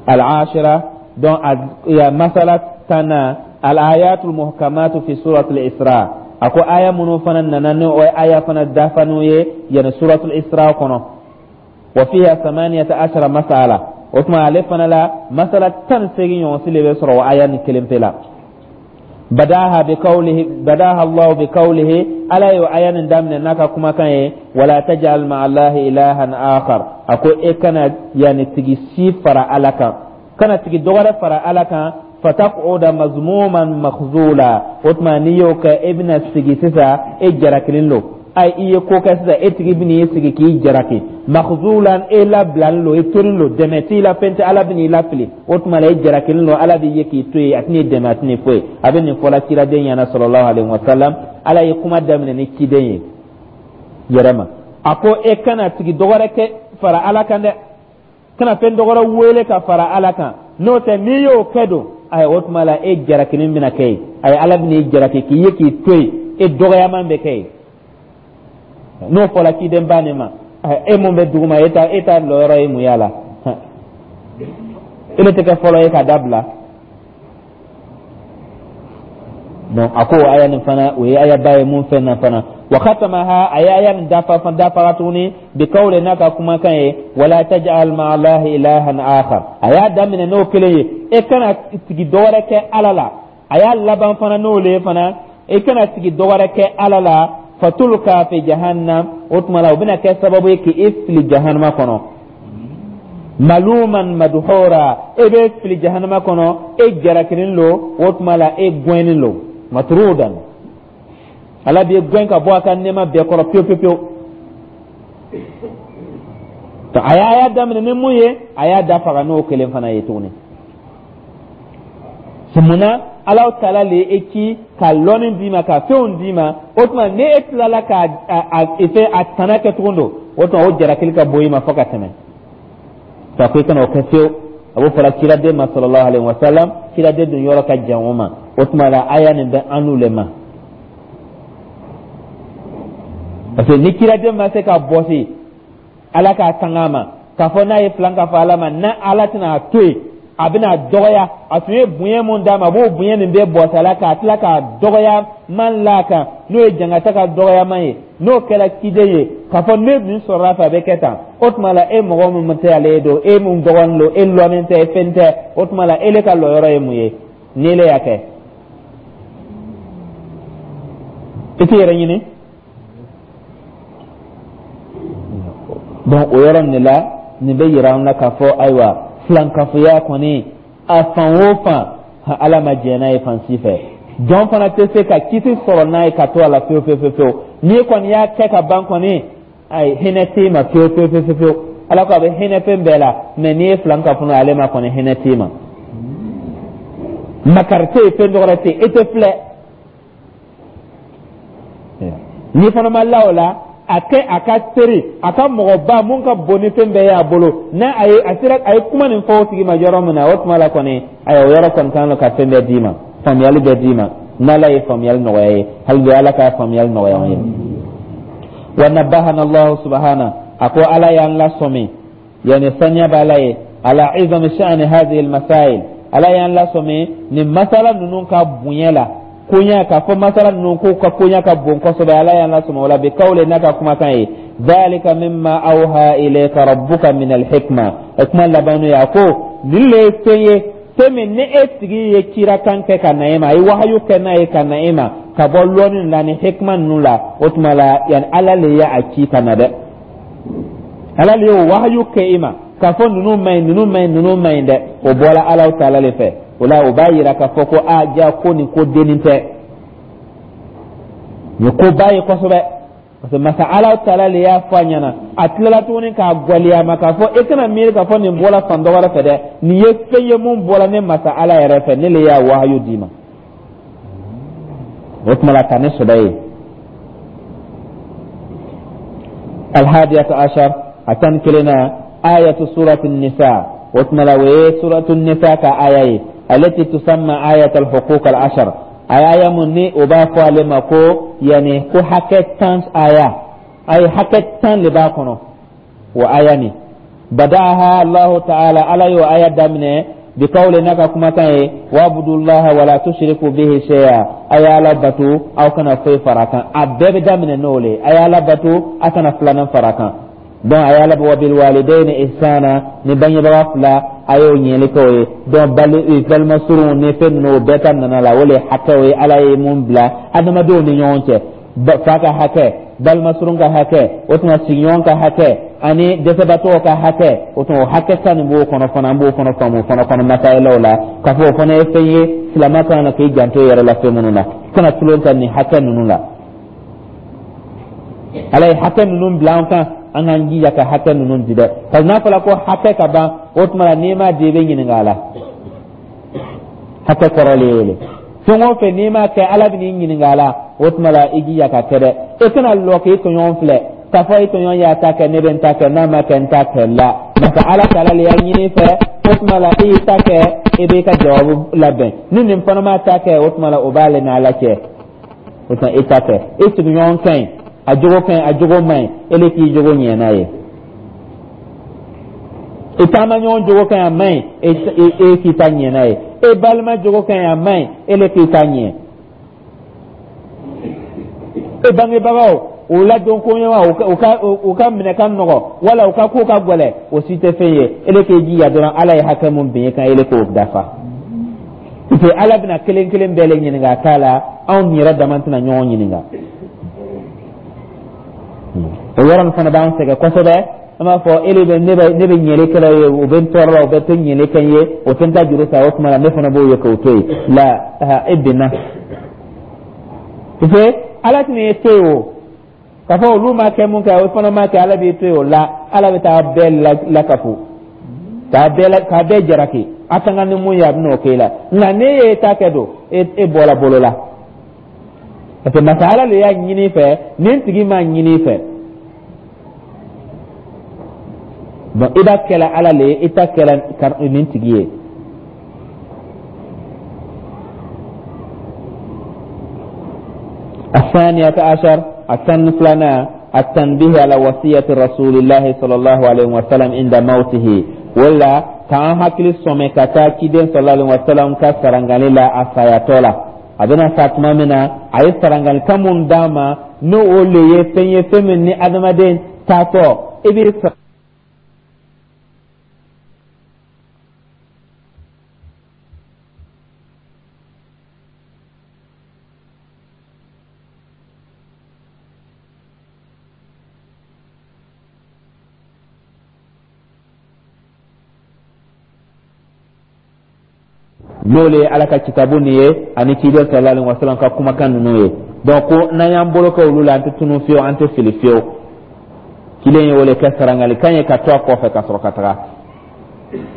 Al-ashira, donc ya masala 10na, al-ayatul muhkamatu fi suratul Isra. A ko aya minnu fana nana, ni o ye aya fana dafaniw ye yani suratul Isra kɔnɔ. Wa fiha 18 masala. O tuma ale fana la, masala 18 ɲɔgɔn si le bɛ sɔrɔ o aya ni kelen pe la. Badaha bi qawlihi, badaha Allah bi qawlihi, Ala y'o aya nin daminɛ n'a ka kumakan ye: wala taj'al ma'a Allahi ilahan akhar. A ko e kana yani tigi si fara Ala kan, kana tigi dɔwɛrɛ fara Ala kan. Fataquda mazmuman makhzula. O tuma n'i y'o kɛ, e bɛna sigi sisan, e jarakilen don. Ayi, i ye ko kɛ sisan, e tigi bɛn'i sigi k'i jaraki. Makhzulan, e labilalen don, e torin don, dɛmɛ t'i la, fɛn tɛ, Ala bɛn'i lafili. O tuma la, e jarakilen don, Ala b'i ye k'i to yen, a tɛn'i dɛmɛ, a tɛn'i foyi. A bɛ nin fɔla ciraden ɲɛna sallallahu alaihi wa sallam. Ala ye kuma daminɛ ni ciden ye yɛrɛ ma. A ko e kana tigi dɔwɛrɛ kɛ fara Ala kan dɛ, kana fɛn dɔwɛrɛ wele ka fara Ala kan. N'o tɛ, n'i y'o kɛ don, ayi, o tuma la e jarakinin bɛna kɛ yen. Ayi, Ala bɛn'i jaraki k'i ye k'i to yen, e dɔgɔyaman bɛ kɛ yen. N'o fɔla cidenba nin ma, e mun bɛ duguma, e ta lɔyɔrɔ ye mun y'a la? E bɛ tɛ kɛ fɔlɔ ye ka dabila. Donc a ko aya nin fana, o ye ayaba ye mun fɛn na fana. Wa khatamaha, a ye aya nin dafa dafa tuguni bi kawle, n'a ka kumakan ye: wala taj'al ma'a Allahi ilahan akhar. A y'a daminɛ n'o kelen ye, e kana tigi dɔwɛrɛ kɛ Ala la. A y'a laban fana n'o le ye fana, e kana tigi dɔwɛrɛ kɛ Ala la. Fatulka fi jahannam. O tuma la, o bɛna kɛ sababu ye k'i fili jahannama kɔnɔ. Maluman madhura, e bɛ fili jahannama kɔnɔ, e jarakilen lo. O tuma la, e gɛnnen lo, matrudan, Ala b'i gɛn ka bɔ a ka nɛɛma bɛɛ kɔrɔ pewu pewu pewu. A y'a daminɛ ni mun ye, a y'a dafaga n'o kelen fana ye tuguni. Munna? Ala taala le e ci ka lɔnni d'i ma, ka fɛnw d'i ma. O tuma ni e tilala ka a fɛ a tana kɛ tugun don, o tuma o jarakili ka bon i ma fo ka tɛmɛ. Ka ko i kana o kɛ fiyewu. A b'o fɔla ciraden ma sallallahu alaihi wa sallam. Ciraden dun yɔrɔ ka jan o ma. O tuma la, aya nin bɛ an n'u le ma, parce que ni ciraden ma se ka bɔsi Ala k'a tanga a ma k'a fɔ n'a ye filan k'a fɔ Ala ma, n'a Ala tɛna a to yen, a bɛna dɔgɔya. A tun ye bonya mun d'a ma, a b'o bonya nin bɛɛ bɔsi a la k'a tila k'a dɔgɔya man la kan, n'o ye jangata ka dɔgɔyaman ye. N'o kɛra ciden ye k'a fɔ ne min sɔrɔla fɛ, a bɛ kɛ tan. O tuma la, e mɔgɔ min tɛ ale ye don, e mun dɔgɔnin don, e lɔnnen tɛ, e fɛn tɛ, o tuma la e le ka lɔyɔrɔ ye mun ye ni ele y'a kɛ? I t'i yɛrɛ ɲini. Donc o yɔrɔ nin de la, nin bɛ yira an na k'a fɔ ayiwa, filankafoya kɔni, a fan o fan, Ala ma jɛn n'a ye fan si fɛ. Jɔn fana tɛ se ka kisi sɔrɔ n'a ye ka to a la fewu fewu fewu fewu. N'i kɔni y'a kɛ ka ban kɔni, ayi, hinɛ t'i ma fewu fewu fewu fewu. Ala ko a bɛ hinɛ fɛn bɛɛ la, mɛ n'i ye filankafo ale ma kɔni, hinɛ t'i ma, makari tɛ yen, fɛn dɔwɛrɛ tɛ yen, e tɛ filɛ. N'i fana ma la o la, a kɛ a ka teri, a ka mɔgɔba mun ka bon ni fɛn bɛɛ ye a bolo, n'a a ye a sera a ye kuma nin fɔ o tigi ma yɔrɔ min na, o tuma la kɔni, ayiwa, o yɔrɔ kɔni kan ka fɛn bɛɛ d'i ma, faamuyali bɛɛ d'i ma, n'Ala ye faamuyali nɔgɔya ye. Hali bi Ala ka faamuyali nɔgɔya an ye. Wa nabahana Allahu subhana, a ko Ala y'an lasɔmi, yani saniya b'Ala ye, ala izami sha'ani hadhihi almasail. Ala y'an lasɔmi nin masala ninnu ka bonya la, koɲa k'a fɔ masala ninnu k'u ka koɲa ka bon kosɛbɛ. Ala y'an lasɔmi o la bi kawle, n'a ka kumakan ye: dhalika mimma awha ilayka rabbuka min alhikma. O kuma laban n'o ye, a ko nin le ye fɛn ye, fɛn min ni e tigi ye kirakan kɛ ka na e ma, a ye wahayu kɛ n'a ye ka na e ma, ka bɔ lɔnni la ni hikma ninnu la. O tuma la, yani Ala le ye a ci ka na dɛ, Ala le y'o wahayu kɛ i ma k'a fɔ ninnu man ɲi, ninnu man ɲi, ninnu man ɲi dɛ. O bɔra Ala taala le fɛ. O la, o b'a yira k'a fɔ ko a ja ko nin ko dennin tɛ, nin ko ba ye kosɛbɛ, parce que masa Ala taala le y'a fɔ a ɲɛna. A tilala tuguni k'a gwɛlɛya ma k'a fɔ e kana miiri k'a fɔ nin bɔra fan dɔ wɛrɛ fɛ dɛ, nin ye fɛn ye mun bɔra ne masa Ala yɛrɛ fɛ, ne le y'a wahayu d'i ma. O tuma la, ka ne sɔbɛ ye. Alhadiyata ashar, a 11nan na, ayatu surati nisa. O tuma la, o ye suratu nisa ka aya ye, alati tusamma ayat alhuquq alashar. A ye aya mun ni o b'a fɔ ale ma ko yani ko hakɛ 10 aya. A ye hakɛ 10 le b'a kɔnɔ. O aya nin, bada'aha Allahu ta'ala, Ala y'o aya daminɛ bikawli, n'a ka kumakan ye: wabudullaha wala tushriku bihi shay'a, a ye Ala bato, aw kana foyi fara kan. A bɛɛ bɛ daminɛ n'o le ye: a ye Ala bato, a kana filanan fara kan. Donc a ye Ala, wa bil walidayni ihsana, ni bangebaga fila, a y'o ɲɛli kɛ o ye. Donc balima surunw ni fɛn ninnu, o bɛɛ ta nana la. O le hakɛw ye Ala ye mun bila adamadenw ni ɲɔgɔn cɛ: fa ka hakɛ, balima surun ka hakɛ, o tuma sigiɲɔgɔn ka hakɛ, ani dɛsɛbatɔw ka hakɛ. O tuma o hakɛ 10 nin b'o kɔnɔ fana. An b'o fana faamu fana kɔnɔ masayalaw la k'a fɔ o fana ye fɛn ye silamɛ kan na k'i janto i yɛrɛ la fɛn minnu na, kana tulon ta nin hakɛ ninnu la. Ala ye hakɛ ninnu bila an kan, an k'an jija ka hakɛ ninnu di dɛ, parce que n'a fɔra ko hakɛ ka ban, o tuma la n'i m'a di, i bɛ ɲininka a la. Hakɛ kɔrɔ le y'o le. Fɛn o fɛn n'i m'a kɛ, Ala bɛ n'i ɲininka a la. O tuma la i jija ka kɛ dɛ. I kana lɔ k'i tɔɲɔgɔn filɛ k'a fɔ i tɔɲɔgɔn y'a ta kɛ, ne bɛ n ta kɛ, n'a ma kɛ, n ta kɛ la. Masa Ala taala le y'a ɲini i fɛ. O tuma la i y'i ta kɛ, i b'i ka jawabu labɛn. Ni nin fana m'a ta kɛ, o tuma la o b'ale n'Ala cɛ. O tuma i ta kɛ. I sigiɲɔgɔn ka ɲi, a jogo ka ɲi, a jogo man ɲi, e le k'i jogo ɲɛ n'a ye. I taama ɲɔgɔn jogo ka ɲi, a man ɲi, e k'i ta ɲɛ n'a ye. E balima jogo ka ɲi, a man ɲi, e le k'i ta ɲɛ. E bangebagaw, u ladon ko ɲuman, u ka minɛ ka nɔgɔ wala u ka ko ka gɛlɛ, o si tɛ fɛn ye. E le k'i jija dɔrɔn, Ala ye hakɛ mun bin e kan, e le k'o dafa, parce que Ala bɛna kelen kelen bɛɛ le ɲininka a ta la. Anw yɛrɛ dama tɛna ɲɔgɔn ɲininka. O yɔrɔ nin fana b'an sɛgɛn kosɛbɛ. An b'a fɔ e bɛ ne bɛ ne bɛ ɲɛli kɛla ye, o bɛ n tɔɔrɔ la, o bɛ tɛ ɲɛli kɛ n ye, o tɛ n ta juru ta. O tuma la ne fana b'o ye k'o to yen la. E binna, parce que Ala tɛna e to yen o k'a fɔ olu ma kɛ mun kɛ, o fana ma kɛ. Ala b'i to yen o la. Ala bɛ taa bɛɛ lakafo, k'a bɛɛ jalaki. A ka kan ni mun ye, a bɛn'o k'e la. Nka n'e ye ta kɛ don, e bɔra bolo la, parce que masa Ala le y'a ɲini i fɛ, nin tigi m'a ɲini i fɛ. Donc i b'a kɛla Ala le ye, i ta kɛla nin tigi ye. الثانية عشر، الثاني فلانا، التنبيه على وصية رسول الله صلى الله عليه وسلم عند موته. ولا k'an hakili sɔmɛ ka taa ciden sallallahu alaihi wasallam ka sarangali la a sayatɔ la. A bɛna sa tuma min na, a ye sarangalikan mun d'a ma, n'o o le ye fɛn ye, fɛn min ni adamaden taatɔ i bɛ n'o le ye Ala ka kitabu nin ye ani ciden sallallahu alaihi wasallam ka kumakan ninnu ye. Donc ko n'an y'an bolo kɛ olu la, an tɛ tunu fiyewu, an tɛ fili fiyewu. Ciden ye o le kɛ sarangalikan ye ka to a kɔfɛ ka sɔrɔ ka taga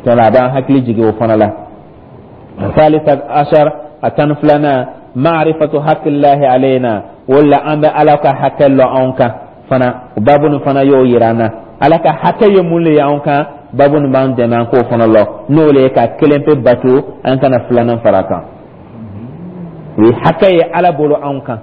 tɔla. A b'an hakili jigin o fana la. Salisa ashar, a 12nan, ma'rifatu haqqillahi alayna. Wala an bɛ Ala ka hakɛ lɔ anw kan fana. O babu nin fana y'o yira an na, Ala ka hakɛ ye mun le ye anw kan. Babu nin b'an dɛmɛ an k'o fana lɔ, n'o le ye ka kelen pe bato, an kana filanan fara kan. O ye hakɛ ye Ala bolo anw kan.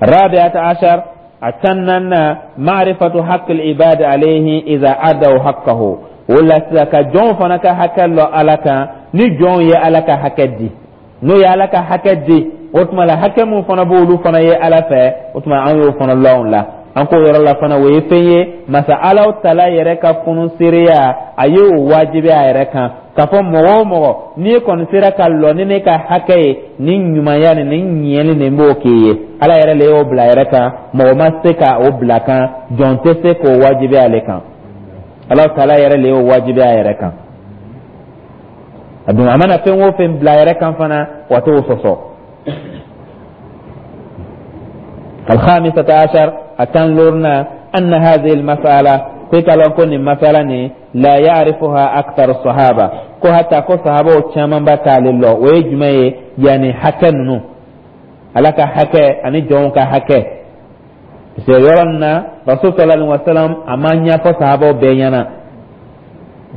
Rabi'ata ashar, a 14nan, ma'rifatu haqqil ibadi alayhi idha adaw haqqahu. O la sisan ka jɔnw fana ka hakɛ lɔ Ala kan, ni jɔnw ye Ala ka hakɛ di, n'o ye Ala ka hakɛ di, o tuma la hakɛ mun fana b'olu fana ye Ala fɛ, o tuma an y'o fana lɔn la. An k'o yɔrɔ la fana, o ye fɛn ye masa Ala tala yɛrɛ ka funusereya, a ye o wajibi a yɛrɛ kan k'a fɔ mɔgɔ o mɔgɔ n'i kɔni sera ka lɔ ni ne ka hakɛ ye, ni ɲumanya ni ni ɲɛli nin b'o k'i ye. Ala yɛrɛ le y'o bila a yɛrɛ kan, mɔgɔ ma se ka o bila kan, jɔn tɛ se k'o wajibi ale kan. Ala tala yɛrɛ le y'o wajibi a yɛrɛ kan. A dun a mana fɛn o fɛn bila a yɛrɛ kan fana, wa t'o sɔsɔ. الخامسة عشر، التنلورنا، أن هذه المسألة في كلام مسألة لا يعرفها أكثر الصحابة، ko hata ko sahabaw caman ba t'ale lɔ. O ye jumɛn ye? Yani hakɛ ninnu, Ala ka hakɛ ani jɔnw ka hakɛ. Parce que yɔrɔ nin na, rasul sallallahu alaihi wasallam a ma ɲɛfɔ sahabaw bɛɛ ɲɛna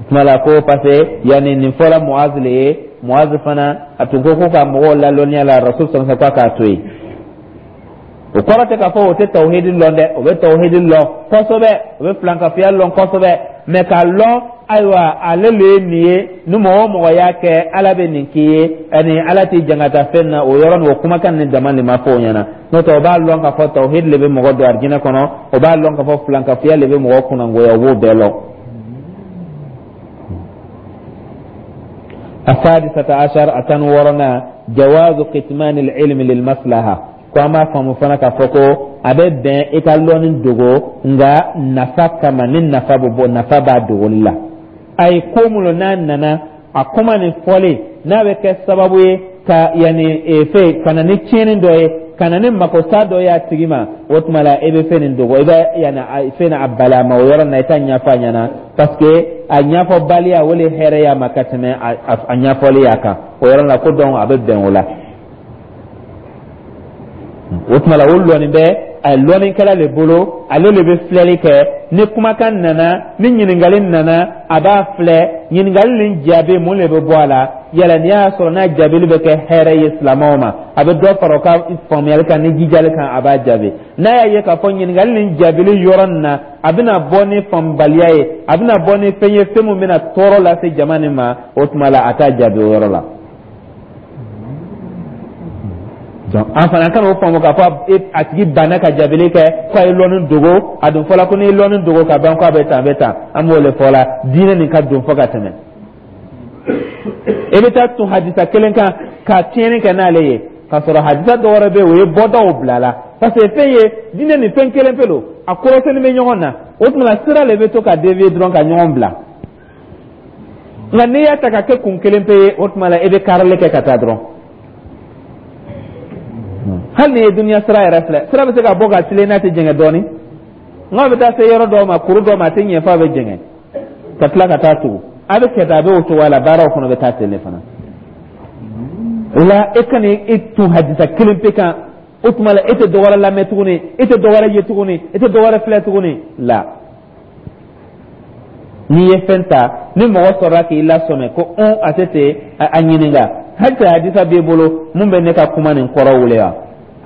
tuma la ko, parce que yani nin fɔla Muaz le ye. Muaz fana a tun ko ko ka mɔgɔw lalɔnniya la, rasul sallallahu alaihi wasallam k'a to yen. O kɔrɔ tɛ k'a fɔ o tɛ tawhidi lɔn dɛ. O bɛ tawhidi lɔn kosɛbɛ, o bɛ filankafoya lɔn kosɛbɛ, mɛ k'a lɔn, ayiwa, ale le ye nin ye, ni mɔgɔ o mɔgɔ y'a kɛ, Ala bɛ nin k'i ye, ani Ala t'i jangata fɛn na, o yɔrɔ nin, o kumakan nin dama de ma fɔ o ɲɛna. N'o tɛ, o b'a lɔn k'a fɔ tawhidi le bɛ mɔgɔ don arijinɛ kɔnɔ, o b'a lɔn k'a fɔ filankafoya le bɛ mɔgɔ kunnangoya, o b'o bɛɛ lɔn. السادسة عشر a 16nan جواز كتمان العلم للمصلحة. Ko an b'a faamu fana k'a fɔ ko a bɛ bɛn i ka lɔnni dogo, nka nafa kama, ni nafa bɛ bɔ, nafa b'a dogoli la. A ye ko mun n'a nana a kuma nin fɔlen, n'a bɛ kɛ sababu ye ka yanni fɛn ka na ni tiɲɛni dɔ ye, ka na ni makosa dɔ ye a tigi ma, o tuma la e bɛ fɛn nin dogo, i bɛ yanni fɛn a bali a ma o yɔrɔ nin na, i t'a ɲɛfɔ a ɲɛna, parce que a ɲɛfɔbaliya, o le hɛrɛ y'a ma ka tɛmɛ a ɲɛfɔli y'a kan o yɔrɔ la. Ko donc a bɛ bɛn o la. O tuma la, o lɔnni bɛ a lɔnnikɛla le bolo, ale le bɛ filɛli kɛ. Ni kumakan nana, ni ɲininkali nana, a b'a filɛ ɲininkali nin jaabi, mun le bɛ bɔ a la. Yala n'i y'a sɔrɔ n'a jaabili bɛ kɛ hɛrɛ ye silamɛw ma, a bɛ dɔ fara o ka faamuyali kan ni jijali kan, a b'a jaabi. N'a y'a ye k'a fɔ ɲininkali nin jaabili yɔrɔ nin na, a bɛna bɔ ni faamubaliya ye, a bɛna bɔ ni fɛn ye, fɛn min bɛna tɔɔrɔ lase jama nin ma, o tuma la a t'a jaabi o yɔrɔ la. Donc an fana kana o faamu k'a fɔ a tigi banna ka jaabili kɛ ko a ye lɔnni dogo. A dun fɔla ko n'i ye lɔnni dogo ka ban, ko a bɛ tan, a bɛ tan. An b'o le fɔ la, diinɛ nin ka don fo ka tɛmɛ. E bɛ taa tun hadisa kelen kan ka tiɲɛni kɛ n'ale ye, k'a sɔrɔ hadisa dɔ wɛrɛ bɛ yen, o ye bɔdaw bila la, parce que fɛn ye diinɛ nin fɛn kelen pe don, a kɔrɔsɛni bɛ ɲɔgɔn na. O tuma la, sira le bɛ to ka dévier dɔrɔn ka ɲɔgɔn bila. Nka n'i y'a ta ka kɛ kun kelen pe ye, o tuma la e bɛ karili kɛ ka taa dɔrɔn. Hali n'i ye duniya sira yɛrɛ filɛ, sira bɛ se ka bɔ ka tilen n'a tɛ jɛngɛ dɔɔnin, nka a bɛ taa se yɔrɔ dɔw ma, kuru dɔw ma, a tɛ ɲɛ f'a bɛ jɛngɛ ka tila ka taa tugu. A bɛ kɛ tan, a bɛ o cogoya la, baaraw fana bɛ taa ten de fana. O la, e kana i tun hadisa kelen pe kan, o tuma la e tɛ dɔ wɛrɛ lamɛn tuguni, e tɛ dɔ wɛrɛ ye tuguni, e tɛ dɔ wɛrɛ filɛ tuguni la. N'i ye fɛn ta, ni mɔgɔ sɔrɔla k'i lasɔmɛ ko ɔn, a tɛ ten, a ɲininka halisa hadisa b'i bolo mun bɛ ne ka kuma nin kɔrɔ wele wa?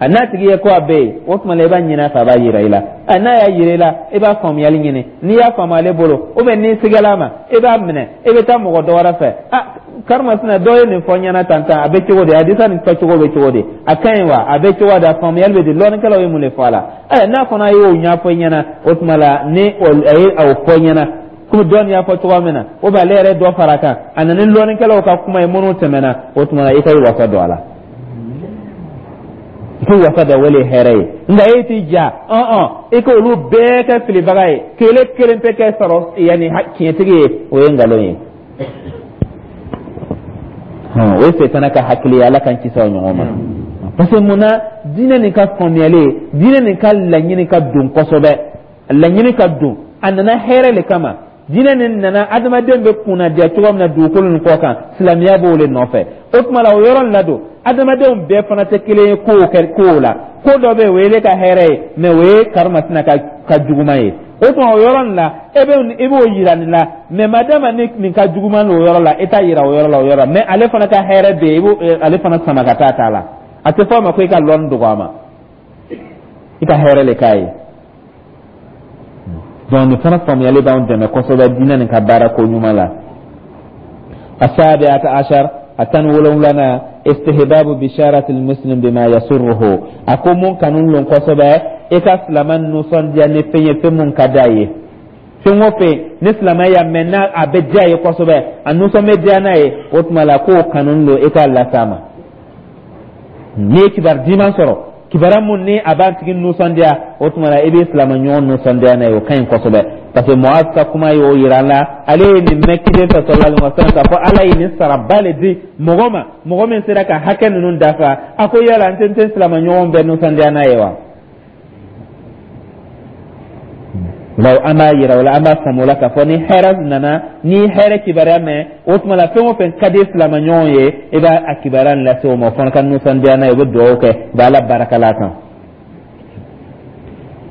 A n'a tigi ye ko a bɛ yen, o tuma la i b'a ɲini a fɛ, a b'a yira i la. A n'a y'a yira i la, i b'a faamuyali ɲini. N'i y'a faamu ale bolo, ou bien n'i sigala a ma, i b'a minɛ, i bɛ taa mɔgɔ dɔ wɛrɛ fɛ. A karimasina dɔ ye nin fɔ n ɲɛna tan tan, a bɛ cogo di? Hadisa nin fɔ cogo bɛ cogo di? A ka ɲi wa? A bɛ cogo di? A faamuyali bɛ di? Lɔnnikɛlaw ye mun de fɔ a la? Ɛ, n'a fana y'o ɲɛfɔ i ɲɛna, o tuma la ni a ye o fɔ i ɲɛna komi dɔɔni y'a fɔ cogoya min na, o bɛ ale yɛrɛ dɔ fara a kan, a nana ni lɔnnikɛlaw ka kuma ye minnu tɛmɛna, o tuma la i ka i wasa don a la, i k'i wasa don, o le ye hɛrɛ ye. Nka e t'i ja ɔn i k'olu bɛɛ kɛ filibaga ye, k'ele kelen pe kɛ sɔrɔ yanni tiɲɛtigi ye, o ye nkalon ye, o ye setana ka hakili ye. Ala k'an kisi o ɲɔgɔn ma. Parce que mun na? Diinɛ nin ka faamuyali, diinɛ nin ka laɲini ka don kosɛbɛ, laɲini ka don. A nana hɛrɛ le kama. Diinɛ nin nana adamaden bɛ kunnadiya cogo min na dugukolo nin kɔ kan, silamɛya b'o le nɔfɛ. O tuma la, o yɔrɔ nin la don, adamadenw bɛɛ fana tɛ kelen ye kow kɛ kow la. Ko dɔ bɛ yen, o ye ne ka hɛrɛ ye, mɛ o ye karimasina ka juguman ye. O tuma o yɔrɔ nin la, e bɛ i b'o yira nin la, mɛ madama ni nin ka juguman o yɔrɔ la, e t'a yira o yɔrɔ la, o yɔrɔ la. Mɛ ale fana ka hɛrɛ bɛ yen, i b'o ale fana sama ka taa ta la. A tɛ fɔ a ma ko i ka lɔnni dogo a ma, i ka hɛrɛ le k'a ye. Donc nin fana faamuyali b'anw dɛmɛ kosɛbɛ diinɛ nin ka baara ko ɲuman la. السابعة عشر a 17nan استحباب بشارة المسلم بما يسره. A ko mun kanu lon kosɛbɛ, i ka silama nisɔndiya ni fɛn ye, fɛn mun ka d'a ye. Fɛn o fɛn ni silama y'a mɛn n'a a bɛ diya ye kosɛbɛ, a nisɔn bɛ diya n'a ye, o tuma la k'o kanu don, i k'a las'a ma. N'i ye kibaru diman sɔrɔ, kibaruya mun ni a b'a tigi nisɔndiya, o tuma la i bɛ silama ɲɔgɔn nisɔndiya n'a ye, o ka ɲi kosɛbɛ. Parce que Muaz ka kuma y'o yira an la. Ale ye nin mɛn kiden fɛ sallallahu alaihi wasallam k'a fɔ Ala ye nin saraba le di mɔgɔ ma, mɔgɔ min sera ka hakɛ ninnu dafa. A ko yala n tɛ n tɛ silama ɲɔgɔn bɛɛ nisɔndiya n'a ye wa? Law an b'a yira o la, an b'a faamu o la k'a fɔ ni hɛrɛ nana, ni hɛrɛ kibaruya mɛn, o tuma la fɛn o fɛn ka di silama ɲɔgɔn ye, i b'a a kibaruya nin lase o ma, o fana ka nisɔndiya n'a ye, o bɛ dugawu kɛ, u bɛ Ala barakala a kan.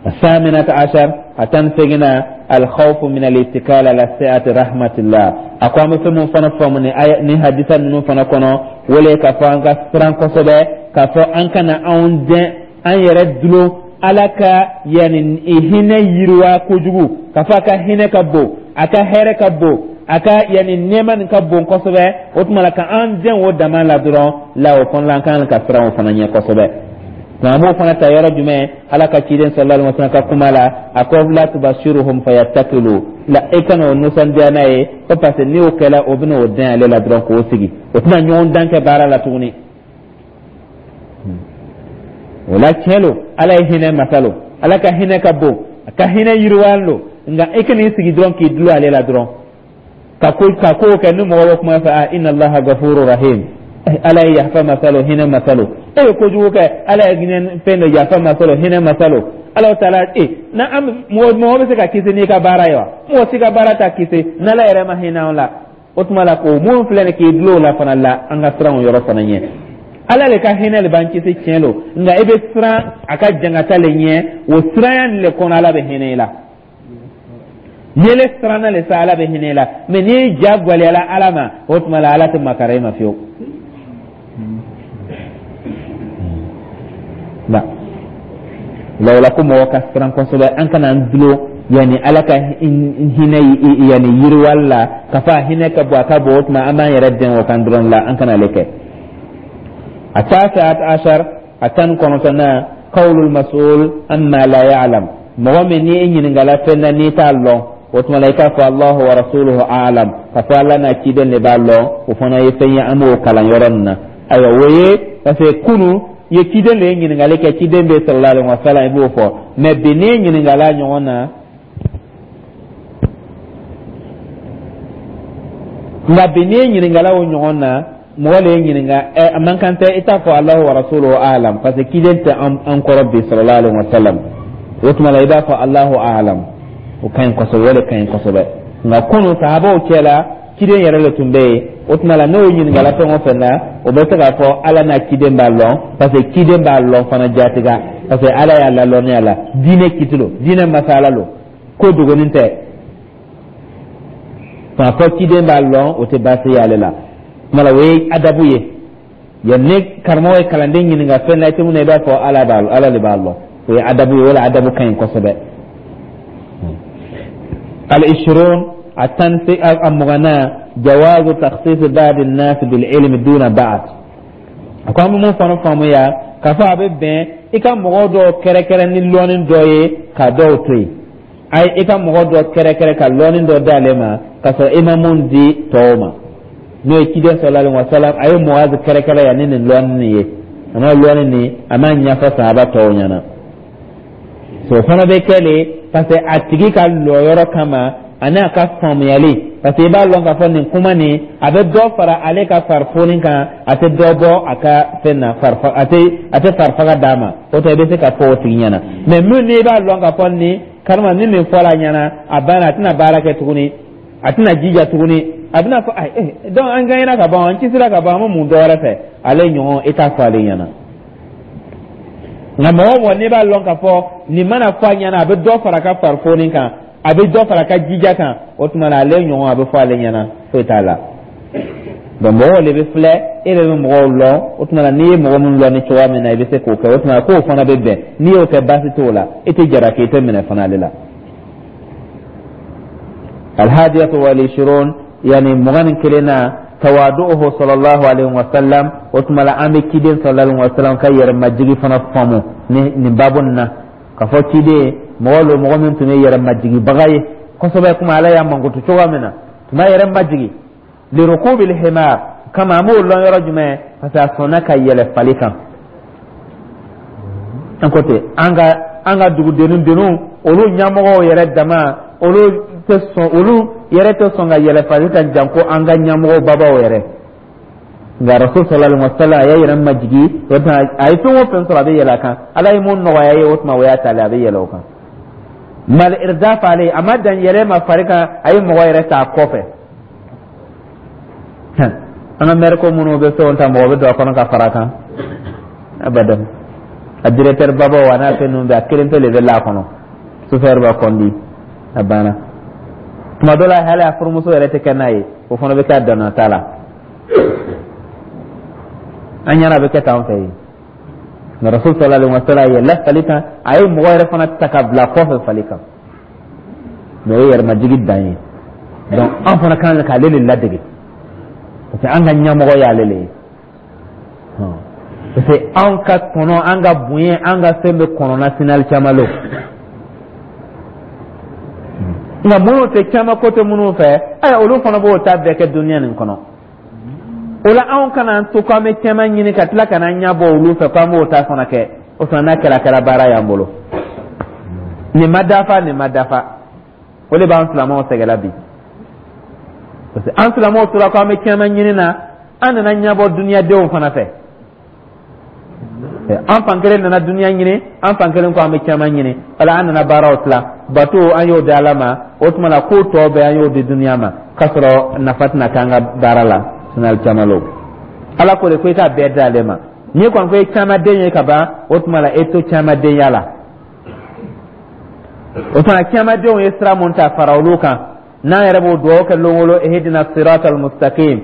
الثامنة عشر a 18nan الخوف من الاتكال على سعة رحمة الله. A ko an bɛ fɛn mun fana faamu ni aya ni hadisa ninnu fana kɔnɔ, o le k'a fɔ an ka siran kosɛbɛ k'a fɔ an kana anw dɛn. An yɛrɛ dulon Ala ka yani hinɛ yiriwa kojugu, k'a fɔ a ka hinɛ ka bon, a ka hɛrɛ ka bon, a ka yani nɛɛma nin ka bon kosɛbɛ. O tuma la, ka an dɛn o dama la dɔrɔn la, o fana la, an kan ka siran o fana ɲɛ kosɛbɛ. Nka an b'o fana ta yɔrɔ jumɛn? Ala ka ciden sallallahu alaihi wasallam ka kuma la, a ko: la tubashiruhum fayattakilu. La, e kana o nisɔndiya n'a ye ko, parce que n'i y'o kɛla, o bɛna o dɛn ale la dɔrɔn k'o sigi, o tɛna ɲɔgɔn dan kɛ baara la tuguni. O la, tiɲɛ lo, Ala ye hinɛ masa lo, Ala ka hinɛ ka bon, a ka hinɛ yiriwalen lo, nka e kan'i sigi dɔrɔn k'i dulon ale la dɔrɔn ka ko kɛ. Ni mɔgɔ bɛ kuma fɛ: ah, inna Allaha gafuru rahim, Ala ye yafa masa lo, hinɛ masa lo. E ye kojugu kɛ, Ala ye hinɛ fɛn dɔ, yafa masa lo, hinɛ masa lo. Ala taala e na an mɔgɔ mɔgɔ bɛ se ka kisi n'i ka baara ye wa? Mɔgɔ si ka baara t'a kisi n'Ala yɛrɛ ma hinɛ an la. O tuma la, k'o mun filɛ nin, k'i dulon o la fana la, an ka siran o yɔrɔ fana ɲɛ. Ala le ka hinɛ le b'an kisi, tiɲɛ lo, nka i bɛ siran a ka jangata le ɲɛ. O siranya nin le kɔnɔ, Ala bɛ hinɛ i la. N'i le siranna le sa, Ala bɛ hinɛ i la. Mɛ n'i ja gwɛlɛyala Ala ma, o tuma la, Ala tɛ makara i ma fiyewu. La la, o la ko mɔgɔ ka siran kosɛbɛ, an kana an dulon yanni Ala ka hinɛ yanni yiriwali la, ka fɔ a hinɛ ka bon, a ka bon. O tuma an b'an yɛrɛ dɛn o kan dɔrɔn la, an kana ale kɛ. التاسعة عشر, a 19nan, qawlul mas'ul amma la ya'lam. Mɔgɔ min ni e ɲininkala fɛn na, n'i t'a lɔn, o tuma la, i k'a fɔ: Allahu wa rasuluhu a'lam, ka fɔ Ala n'a ciden de b'a lɔn. O fana ye fɛn ye, an b'o kalan yɔrɔ nin na. Ayiwa, o ye parce que kunu ye ciden de ye ɲininkali kɛ, ciden bɛ sallallahu alaihi wa sallam, i b'o fɔ. Mais bi, n'i ɲininkala ɲɔgɔn na, nka bi n'i ɲininkala o ɲɔgɔn na, mɔgɔ le ye ɲininka ɛ, a man kan tɛ i t'a fɔ Alahu wa rasuluhu alam, parce que ciden tɛ an kɔrɔ bi sallallahu alaihi wa sallam. O tuma la, i b'a fɔ Alahu alam, o ka ɲi kosɛbɛ, o de ka ɲi kosɛbɛ. Nka kunu sahabaw cɛ la, ciden yɛrɛ le tun bɛ yen. O tuma la, n'o ɲininkala fɛn o fɛn na, o bɛ se k'a fɔ Ala n'a ciden b'a lɔn, parce que ciden b'a lɔn fana jatiga, parce que Ala y'a lalɔnniya la. Diinɛ kiti lo, diinɛ masala lo, ko dogonin tɛ. K'a fɔ ciden b'a lɔn, o tɛ baasi ye ale la. Tuma la, o ye adabu ye. Yan ni karamɔgɔ ye kalanden ɲininka fɛn na, i tɛ mun na, i b'a fɔ Ala de b'a lɔn. O ye adabu ye, o la adabu ka ɲi kosɛbɛ. Al-ishrun, a tan a 20nan, jawazu takhsis ba'd an-nas bil ilmi duna ba'd. A ko an bɛ mun fana faamuya? K'a fɔ a bɛ bɛn i ka mɔgɔ dɔw kɛrɛkɛrɛ ni lɔnni dɔ ye, ka dɔw to yen. Ayi, i ka mɔgɔ dɔ kɛrɛkɛrɛ ka lɔnni dɔ d'ale ma, ka sɔrɔ i ma mun di tɔw ma, n'o ye ciden sallallahu alaihi wa sallam. A ye Muazi kɛrɛkɛrɛ yan ni nin lɔnni nin ye, a ma lɔnni nin, a ma ɲɛfɔ sahaba tɔw ɲɛna. So fana bɛ kɛ le parce que a tigi ka lɔyɔrɔ kama ani a ka faamuyali, parce que i b'a lɔn k'a fɔ nin kuma nin, a bɛ dɔ fara ale ka farifoni kan, a tɛ dɔ bɔ a ka fɛn na, a tɛ farifaga d'a ma. O tɛ, i bɛ se ka fɔ o tigi ɲɛna. Mais min n'i b'a lɔn k'a fɔ nin karima ni nin fɔra a ɲɛna, a banna, a tɛna baara kɛ tuguni, a tɛna jija tuguni, a bɛna fɔ eh, donc an gagnera ka ban, an kisira ka ban, an ma mun dɔ wɛrɛ fɛ ale ɲɔgɔn, i t'a fɔ ale ɲɛna. Nka mɔgɔ o mɔgɔ n'i b'a lɔn k'a fɔ nin mana fɔ a ɲɛna, a bɛ dɔ fara a ka farifoni kan, a bɛ dɔ fara a ka jija kan, o tuma na, ale ɲɔgɔn, a bɛ fɔ ale ɲɛna, foyi t'a la. Donc mɔgɔw de bɛ filɛ, e de bɛ mɔgɔw lɔn. O tuma na, n'i ye mɔgɔ min lɔn ni cogoya min na, i bɛ se k'o kɛ. O tuma na, k'o fana bɛ bɛn. N'i y'o kɛ, baasi t'o la, i tɛ jalaki, i tɛ minɛ fana ale la. Alhadiyatu wal ishirun, yani 21 na, tawadu'uhu sallallahu alaihi wa sallam. O tuma la, an bɛ ciden sallallahu alaihi wa sallam ka yɛrɛmajigi fana faamu ni nin babu nin na, k'a fɔ ciden mɔgɔ lo, mɔgɔ min tun ye yɛrɛmajigibaga ye kosɛbɛ, kuma Ala y'a mankutu cogoya min na, tun b'a yɛrɛ majigi. Lirukubil himar kama, an b'o lɔn yɔrɔ jumɛn? Parce que a sɔnna ka yɛlɛ fali kan. An ko ten, an ka dugudennin denninw, olu ɲɛmɔgɔw yɛrɛ dama, olu tɛ sɔn, olu yɛrɛ tɛ sɔn ka yɛlɛ fali kan, janko an ka ɲɛmɔgɔ babaw yɛrɛ. Nka Rasul sallallahu alaihi wa sallam, a y'a yɛrɛ majigi. O tuma, a ye fɛn o fɛn sɔrɔ, a bɛ yɛlɛ a kan. Ala ye mun nɔgɔya ye, o tuma, o y'a ta le, a bɛ yɛlɛ o kan. Mal irdaf ale, a ma dan yɛlɛ ma fari kan, a ye mɔgɔ yɛrɛ ta a kɔfɛ. An ka mɛri ko minnu bɛ fɛnw ta, mɔgɔ bɛ don a kɔnɔ ka fara a kan abadan. A directeur babaw a n'a fɛn ninnu bɛɛ, a kelen pe de bɛ la a kɔnɔ, chauffeur b'a kɔndi, a banna. Tuma dɔ la hali a furumuso yɛrɛ tɛ kɛ n'a ye, o fana bɛ kɛ a danna ta la. An ɲɛna, a bɛ kɛ tan fɛ yen. Nka Rasul sallallahu alaihi wa sallam yɛlɛla fali kan, a ye mɔgɔ yɛrɛ fana ta ka bila kɔfɛ fali kan. Mais o ye yɛrɛmajigi dan ye. Donc an fana kan k'ale de ladege, parce que an ka ɲɛmɔgɔ y'ale le ye, parce que an ka tɔnɔ, an ka bonya, an ka fɛn bɛ kɔnɔna sinali caman lo. Nka minnu tɛ caman ko tɛ minnu fɛ, ayi, olu fana b'o ta bɛɛ kɛ duniya nin kɔnɔ. O la, anw kana an to k'an bɛ caman ɲini ka tila ka n'an ɲɛ bɔ olu fɛ k'an b'o ta fana kɛ. O fana n'a kɛra baara y'an bolo. Nin ma dafa, nin ma dafa. O de b'an silamɛw sɛgɛnla bi, parce que an silamɛw tora k'an bɛ caman ɲini na, an nana ɲɛbɔ duniyadenw fana fɛ. An fan kelen nana duniya ɲini, an fan kelen ko an bɛ caman ɲini. Wala an nana baaraw tila. Bato, an y'o di Ala ma. O tuma la, ko tɔ bɛɛ, an y'o di duniya ma, k'a sɔrɔ nafa tɛna k'an ka baara la. Sinali caman lo, Ala ko de ko i k'a bɛɛ di ale ma. N'i kɔni ko i caman den ye ka ban, o tuma la, e to caman denya la. O tuma, camandenw ye sira mun ta, fara olu kan. N'an yɛrɛ b'o dugawu kɛ lon o lon: ihdina siratal mustaqim,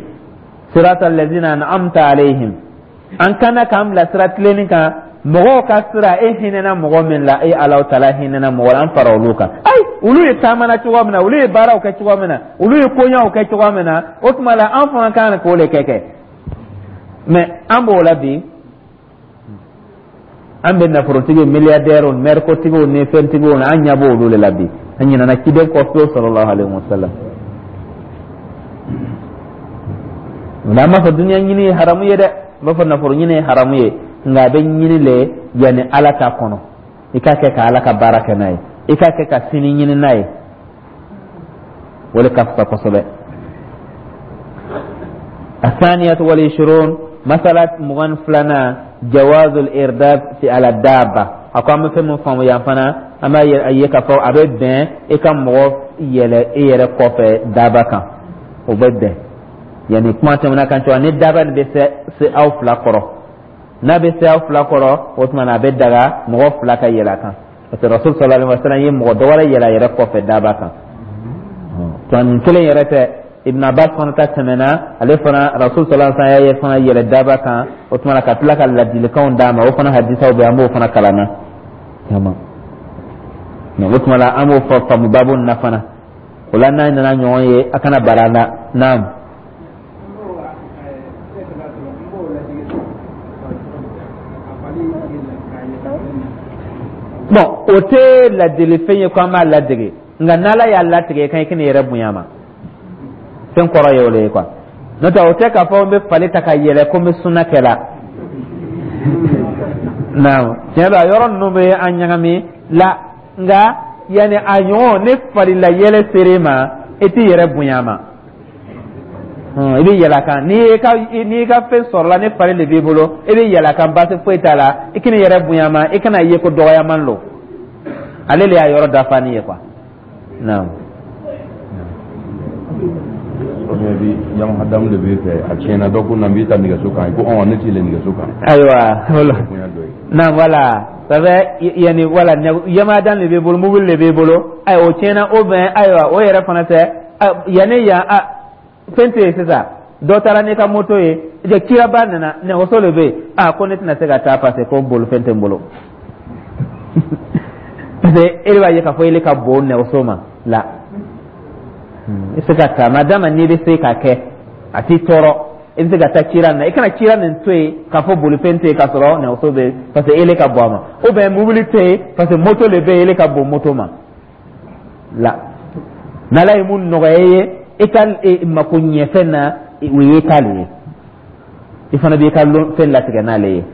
siratal lazina an'amta alayhim. An kana k'an bila sira tilenni kan, mɔgɔw ka sira, e hinɛna mɔgɔ min la, e Alahu taala hinɛna mɔgɔ la, an fara olu kan. Ayi, olu ye taamana cogo min na, olu ye baaraw kɛ cogo min na, olu ye koɲaw kɛ cogo min na, o tuma la, an fana kan k'o de kɛ. Mais an b'o la bi, an bɛ nafolotigi, milliardaires, mɛrikotigiw ni fɛntigiw, an ɲɛ b'olu de la bi. An ɲinɛna ciden kɔ fiyewu, sallallahu alaihi wa sallam. Nka an b'a fɔ duniya ɲini ye haramu ye dɛ, n b'a fɔ nafolo ɲini ye haramu ye, nka a bɛ ɲini le yanni Ala ta kɔnɔ. I k'a kɛ ka Ala ka baara kɛ n'a ye, i k'a kɛ ka sini ɲini n'a ye, o de ka fisa kosɛbɛ. الثانية والعشرون، مسألة 22، جواز الإرداف في على الدابة. A ko an bɛ fɛn min faamu yan fana, an b'a ye k'a fɔ a bɛ bɛn i ka mɔgɔ yɛlɛ i yɛrɛ kɔfɛ daba kan. O bɛ bɛn yanni kuma tɛmɛna kan cogo ni daba nin bɛ se aw fila kɔrɔ. N'a bɛ se aw fila kɔrɔ, o tuma na, a bɛ daga mɔgɔ fila ka yɛlɛ a kan, parce que Rasul sallallahu alaihi wa sallam ye mɔgɔ dɔ wɛrɛ yɛlɛ a yɛrɛ kɔfɛ daba kan. Tuma nin kelen yɛrɛ tɛ, Ibn Abbas fana ta tɛmɛna. Ale fana, Rasul sallallahu alaihi wa sallam y'a ye fana yɛlɛ daba kan. O tuma na, ka tila ka ladilikanw d'a ma. O fana hadisaw bɛ, an b'o fana kalan na caman. O tuma la, an b'o fɔ faamu baabu nin na fana. O la, n'a nana ɲɔgɔn ye, a kana bala an na. Naam. Bon, o tɛ ladelifɛn ye ko an b'a ladege, nka n'Ala y'a latigɛ kan, i kana yɛrɛ bonya ma. Fɛn kɔrɔ ye o de ye quoi. N'o tɛ, o tɛ k'a fɔ n bɛ fali ta ka yɛlɛ ko n bɛ sunna kɛ la. Naam, tiɲɛ don, a yɔrɔ ninnu bɛ an ɲagami la. Nka yanni a ɲɔgɔn ne falila yɛlɛ ser'e ma, i t'i yɛrɛ bonya ma, i bɛ yɛlɛ a kan. N'i ka fɛn sɔrɔla, ni fali de b'i bolo, i bɛ yɛlɛ a kan, baasi foyi t'a la. I kana yɛrɛ bonya ma, i kana ye ko dɔgɔyaman lo. Ale de y'a yɔrɔ dafa ni ye quoi. Naam. Bi Yamaha Dam de b'i fɛ, a tiɲɛna, dɔ ko na n b'i ta nɛgɛso kan, ko ɔn ne t'i yɛlɛ nɛgɛso kan. Ayiwa, naam, voilà, ça fait yani voilà, Yamaha Dam de b'i bolo, mobili de b'i bolo, ayiwa, o tiɲɛna o bɛn. Ayiwa, o yɛrɛ fana tɛ yanni yan a fɛn tɛ yen sisan. Dɔ taara n'i ka moto ye, kiraba nana, nɛgɛso de bɛ yen. A ko ne tɛna se ka taa parce que ko bolifɛn tɛ n bolo, parce que e de b'a ye k'a fɔ ele ka bon nɛgɛso ma la. I bɛ se ka taa, madama n'i bɛ se k'a kɛ, a t'i tɔɔrɔ, i bɛ se ka taa cira nin na. I kana cira nin to yen k'a fɔ bolifɛn tɛ yen k'a sɔrɔ nɛgɛso bɛ yen, parce que ele ka bon a ma, ou bien mobili tɛ yen, parce que moto de bɛ yen, ele ka bon moto ma la. N'Ala ye mun nɔgɔya i ye i ka mako ɲɛfɛn na, o ye t'ale ye, i fana b'i ka fɛn latigɛ n'ale ye.